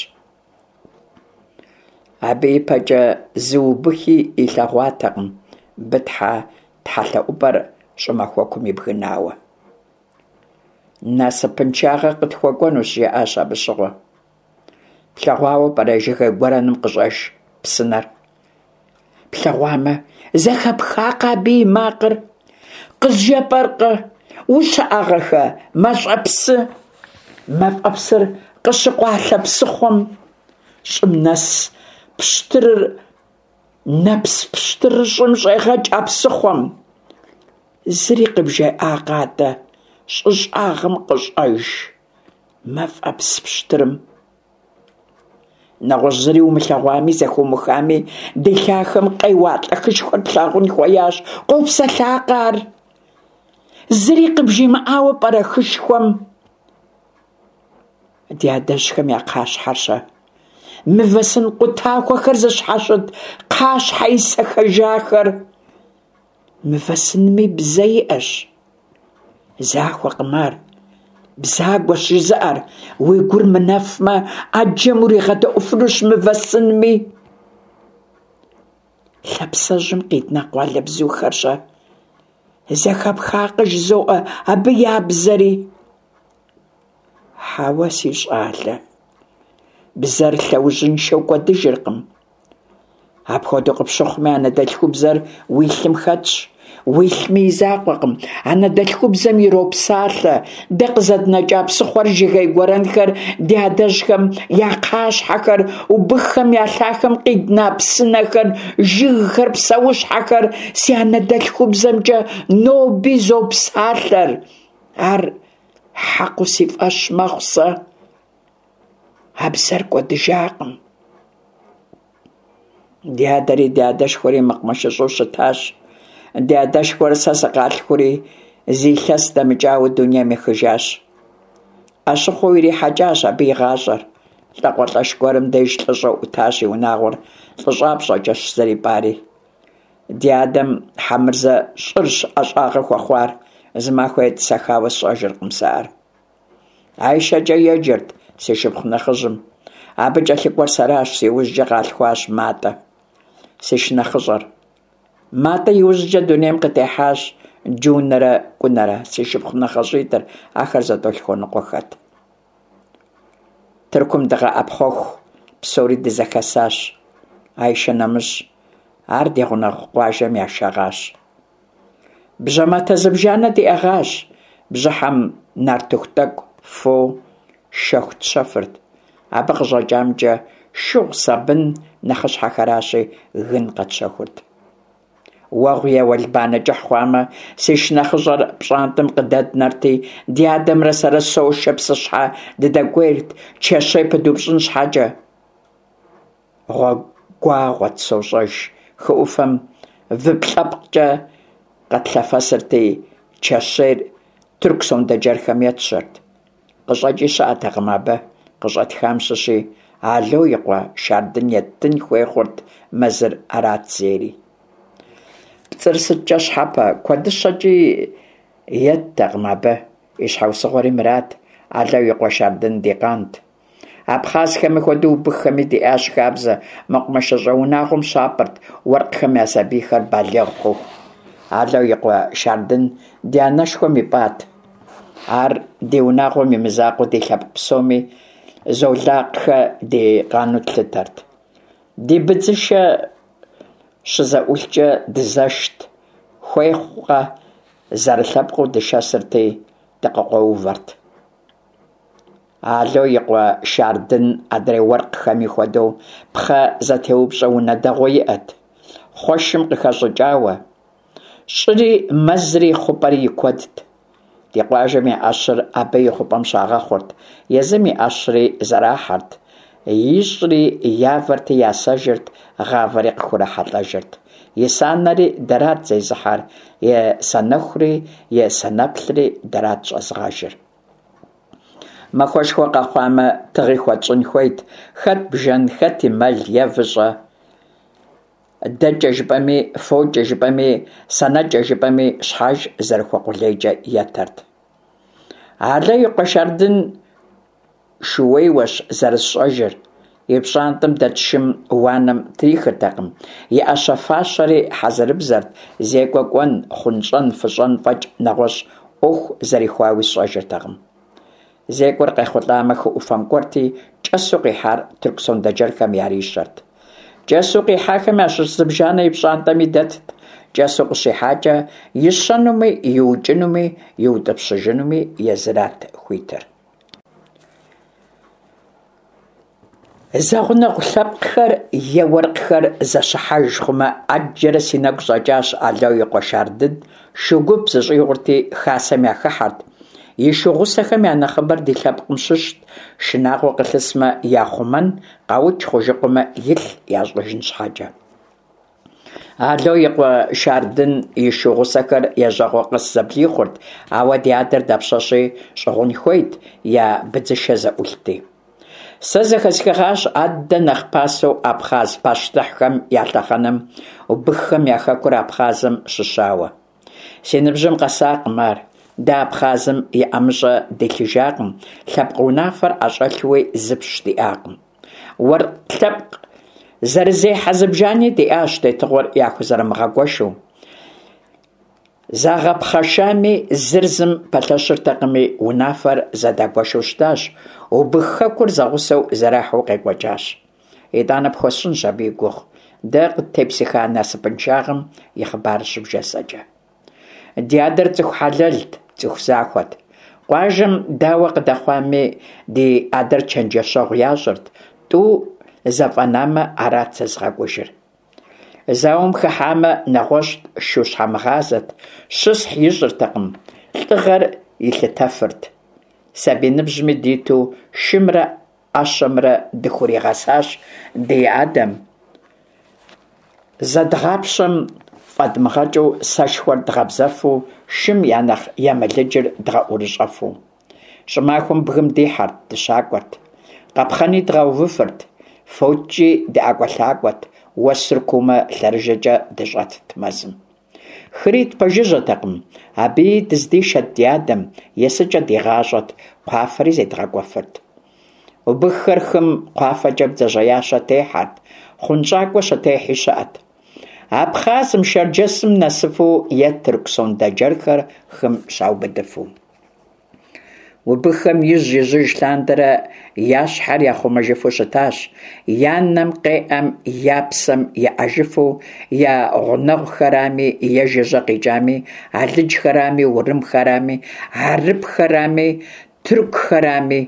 Абы ипэкӏэ зы убыхи илъэгъуатэкъым Бытхьэ тхьэлъэӏупӏэр щӏымахуэкум ибгынауэ. Насыпыншагъэ къытхуэкӏуэнущ, жаӏащ абы щыгъуэ. Плъэгъуауэ пӏэрэ жыгей гуэрэным къыщӏэж псынэр? Плъэгъуамэ, зэхэпхакъэ абы и макъыр? Къызжепӏэркъэ, ущыӏагъэхэ, мащӏэпсы? Мафӏэпсыр къыщыкъуалъэ псыхъуэм щӏым нэс пщтырыр нэпс пщтырыр щӏым щӏегъэкӏ а псыхъуэм. Зыри къыбжаӏакъэ атӏэ щӏы щӏагъым къыщӏэж мафӏэпс пщтырым? Нэгъуэщӏ зыри умылъэгъуами, зэхыумыхами, ди лъахэм къеуалӏэ хышхуэр плъагъун хуеящ. Къопсэлъакъэ ар? Зыри къыбжимыӏауэ пӏэрэ хышхуэм? Ди адэжьхэм я кхъащхьэр-щэ? Мывэ сын къутахуэхэр зыщхьэщыт кхъащхьэ исэхэжахэр. Мывэ сынми бзэ иӏэщ. Захуэкъым ар. Бзагуэщ жызыӏэр. Уи гур мынэфмэ, ӏэджэм уригъэдэӏуфынущ мывэ сынми. Лъапсэжьым къидна къуалэбзухэр-щэ? Зэхэпхакъэ жызоӏэ абы я бзэри? Хьэуэ, си щӏалэ, бзэр лъэужьыншэу кӏуэдыжыркъым. Апхуэдэу къыпщыхъуми, анэдэлъхубзэр уи лъым хэтщ. Уилъми и закъуэкъым, анэдэлъхубзэм иропсалъэ. Дэ къызэднэкӏа псыхъуэр, жыгей гуэрэнхэр, ди адэжьхэм я кхъащхьэхэр, убыххэм я лъахэм къидна псынэхэр, жыгхэр, псэущхьэхэр си анэдэлъхубзэмкӏэ ноби зопсалъэр. Ар хьэкъыу си фӏэщ мэхъу сэ. А бзэр кӏуэдыжакъым. Ди адэри ди адэшхуэри мэкъумэшыщӏэу щытащ. Ди адэшхуэр сэ сыкъалъхури, зы илъэс дэмыкӏауэ дунейм ехыжащ. ӏэщыхъуэу ирихьэкӏащ абы и гъащӏэр. Лӏакъуэлӏэш гуэрым деж лӏыщӏэу ӏутащ и унагъуэр лӏыщӏапщӏэкӏэщ зэрипӏари. Ди адэм Хьэмырзэ щӏырщ ӏэщӏагъэ хуэхъуар, зы махуэ етӏысэхауэ сщӏэжыркъым сэ ар. Айшэкӏэ еджэрт си шыпхъу нэхъыжьым. Абы кӏэлъыкӏуэр сэращ, си ужькӏэ къалъхуащ Матӏэ, си шынэхъыщӏэр. Матӏэ и ужькӏэ дунейм къытехьащ Джунэрэ Кӏунэрэ, си шыпхъу нэхъыщӏитӏыр, ахэр зэтӏолъхуэныкъуэхэт. Тыркум дыкъэӏэпхъуэху псори дызэхэсащ. Айшэ нэмыщӏ, ар ди гъунэгъу къуажэм яшэгъащ. Бжьэматэ зыбжанэ диӏэгъащ, бжьыхьэм нартыху тӏэкӏу, фо, шэху тщэфырт. Абы къыщӏэкӏамкӏэ шыгъу, сабын, нэхъыщхьэхэращи, гын къэтщэхурт. Уэгъу е уэлбанэ кӏыхь хъуамэ, си шынэхъыщӏэр пщӏантӏэм къыдэднэрти, ди адэмрэ сэрэ Сошэ псыщхьэ дыдэкӏуейрт, чэщей пыдупщӏын щхьэкӏэ. Гъуэгуагъуэт, сощӏэж, хы ӏуфэм выплӏэпкӏэ къэтлъэфэсырти, чэщейр тырку сондэджэрхэм етщэрт. Къыщӏэкӏи щыӏэтэкъым абы, къыщӏэтхам щыщи, Ало и къуэ Шардын еттын хуей хъурт, мэзыр арат зейри. Пцӏыр сыткӏэ щхьэпэ, куэдыщэкӏи еттэкъым абы, и щхьэусыгъуэри мырат, Ало и къуэ Шардын ди къант. Абхъазхэми хуэдэу убыххэми диӏащ хабзэ, мэкъумэшыщӏэ унагъуэм щапӏырт уэркъхэм я сабийхэр балигъ хъуху. Ало и къуэ Шардын ди анэшхуэм ипӏат. Ар ди унагъуэм и мызакъуэу ди лъэпкъ псоми Золакхэ ди къану тлъытэрт. Ди быдзышэ щызэӏулъкӏэ дызэшт, хуей хъукъэ, зэрылъэпкъыу дышэсырти, дыкъыкъуэувэрт. Ало и къуэ Шардын адрей уэркъхэми хуэдэу пхъэ зэтеупщӏэ унэ дэгъуэ иӏэт, хъуэшым къыхэщӏыкӏауэ. Щӏыри, мэзри, хъупӏэри и куэдт. Ди къуажэм я ӏэщыр абы и хъупӏэм щагъэхъурт, езым и ӏэщри зэрахьэрт, ищӏри явэрти ясэжырт, гъавэри къыхурахьэлӏэжырт. И санэри дэрат зезыхьэр, и санэхури и санэплъри дэрат щӏэзыгъэжыр. Махуэшхуэ къэхъуамэ, тыгъи хуэтщӏын хуейт, хэт бжэн, хэти мэл е выщӏэ. Дэкӏэ жыпӏэми, фокӏэ жыпӏэми, санэкӏэ жыпӏэми, щхьэж зэрыхуэкъулейкӏэ етэрт. Ало и къуэ Шардын шууейуэщ зэрысщӏэжыр. И пщӏантӏэм дэт шым уанэм трихыртэкъым, и ӏэщэ-фащэри хьэзырыбзэрт, зекӏуэ кӏуэн, хъунщӏэн, фыщӏэн фӏэкӏ нэгъуэщӏ ӏуэху зэрихуауи сщӏэжыртэкъым. Зекӏуэр къехъулӏамэ, хы ӏуфэм кӏуэрти, кӏэсу къихьар тырку сондэджэрхэм ярищэрт. Кӏэсу къихьахэм ящыщ зыбжанэ и пщӏантӏэми дэтт, кӏэсу къыщихьакӏэ, ищэнуми, иукӏынуми, иутӏыпщыжынуми езырат хуитыр. Зэгъунэгъу лъэпкъхэр е уэркъхэр зэщыхьэж хъумэ, ӏэджэрэ си нэгу щӏэкӏащ Ало и къуэ Шардын шу гуп зыщӏигъурти, хасэм яхыхьэрт. И шу гъусэхэм я нэхъыбэр ди лъэпкъым щыщт, шынагъуэ къылъысмэ яхъумэн, къаукӏ хъужыкъуэмэ илъ ящӏэжын щхьэкӏэ. Ало и къуэ Шардын и шу гъусэхэр ежьэгъуэ къэс зэблихъурт, ауэ ди адэр дапщэщи щӏыгъун хуейт, я быдзышэ зэӏулъти. Сэ зэхэсхыгъащ аддэ нэхъ пасэу абхъаз пащтыхьхэм я лъэхъэнэм убыххэм я хэкур Абхъазым щыщауэ. Си ныбжьым къэсакъым ар. Дэ Абхъазым и ӏэмыщӏэ дилъыжакъым, лъэпкъ унафэр ӏэщӏэлъуи зыпщ диӏакъым. Уэркъ лъэпкъ зэрызехьэ зыбжани диӏащ тетыгъуэр яхузэрымыгъэгуэшу. Загъэпхъэшами, зыр зым пэлъэщыртэкъыми, унафэр зэдагуэшу щытащ, убых хэкур зэгъусэу зэрахьэу къекӏуэкӏащ. Итӏанэ пхуэсщӏынщ абы и гугъу. дэ къыттепсыха насыпыншагъэм и хъыбарыр щыбжесӏэкӏэ. Ди адэр цӏыху хьэлэлт, цӏыху захуэт. Къуажэм дауэ къыдэхъуами, ди адэр чэнджэщэгъу ящӏырт, тӏу зэфӏэнамэ, арат зэзыгъэкӏужыр. Зауэм хыхьамэ, нэгъуэщӏт, шу щхьэмыгъазэт, щысхь ищӏыртэкъым, лӏыгъэр илъытэфырт. Сабий ныбжьми диту шымрэ ӏэщэмрэ дыхуригъэсащ ди адэм. Зэдгъапщэм фӏэдмыгъэкӏыу сэшхуэр дгъэбзэфу, шым я нэхъ емылыджыр дгъэӏурыщӏэфу. Щӏымахуэм бгым дихьэрт, дыщакӏуэрт. Къапхъэни дгъэувыфырт, фочкӏи дыӏэкӏуэлъакӏуэт, уэсыр куумэ лъэрыжэкӏэ дыщӏэтт мэзым. Хыри тпэжыжьэтэкъым, абыи дыздишэт ди адэм, есыкӏэ дигъащӏэт, кхъуафэри зедгъэкӏуэфырт. Убыххэр хым кхъуафэкӏэ бдзэжьеящэ техьэрт, хъунщӏакӏуэ щытехьи щыӏэт. Абхъазым, Шэрджэсым нэсыфу е тырку сондэджэрхэр хым щаубыдыфу. Убыххэм ижь-ижьыж лъандэрэ я щхьэр яхъумэжыфу щытащ, я нэм къеӏэм я псэм еӏэжыфу, я гъунэгъухэрами е жыжьэ къикӏами, алыджхэрами, урымхэрами, хьэрыпхэрами, тыркухэрами.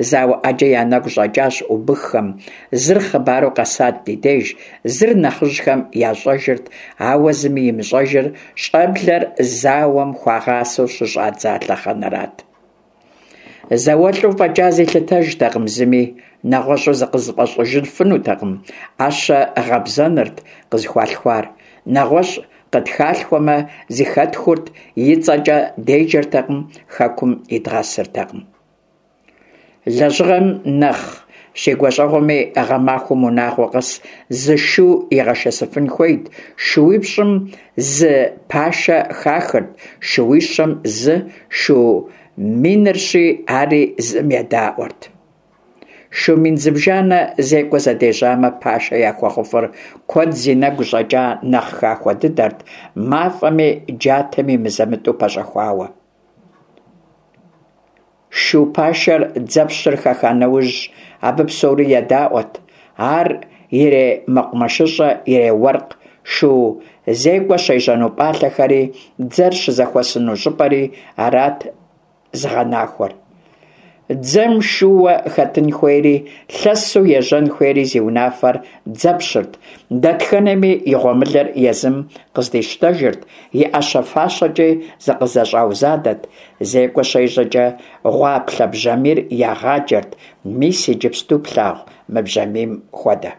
Зауэ ӏэджэ я нэгу щӏэкӏащ убыххэм, зыр хъыбару къэсат ди деж, зыр нэхъыжьхэм ящӏэжырт, ауэ зыми имыщӏэжыр щӏэблэр зауэм хуагъасэу щыщӏадза лъэхъэнэрат. Зауэлӏу фӏэкӏа зилъытэжтэкъым зыми, нэгъуэщӏу зыкъызыфӏэщӏыжыфынутэкъым, ӏэщэ гъэбзэнырт къызыхуалъхуар. Нэгъуэщӏ къытхалъхуэмэ, зыхэтхурт, и цӏэкӏэ деджэртэкъым, хэкум идгъэсыртэкъым. Лэжьыгъэм нэхъ щигуащӏэгъуэми, гъэмахуэм унагъуэ къэс зы шу игъэшэсыфын хуейт, шууипщӏым зы пашэ хахырт, шууищэм зы, шу минырщи, ари зым едаӏуэрт. Шу мин зыбжанэ зекӏуэ зэдежьамэ, пашэ яхуэхъуфыр куэд зи нэгу щӏэкӏа нэхъ хахуэ дыдэрт, мафӏэми джатэми мызэ-мытӏэу пэщӏэхуауэ. Шу пашэр дзэпщыр хэха нэужь, абы псори едаӏуэт. Ар иремэкъумэшыщӏэ, иреуэркъ, шу зекӏуэ щежьэну пӏалъэхэри, дзэр щызэхуэсыну щӏыпӏэри арат зыгъэнахуэр. Дзэм шууэ хэтын хуейри, лъэсу ежьэн хуейри зи унафэр дзэпщырт, дэтхэнэми и гъуэмылэр езым къыздищтэжырт, и ӏэщэ-фащэкӏи зыкъызэщӏаузадэт, зекӏуэ щежьэкӏэ гъуаплъэ бжьамийр ягъаджэрт, мис иджыпсту плъагъу мы бжьамийм хуэдэ.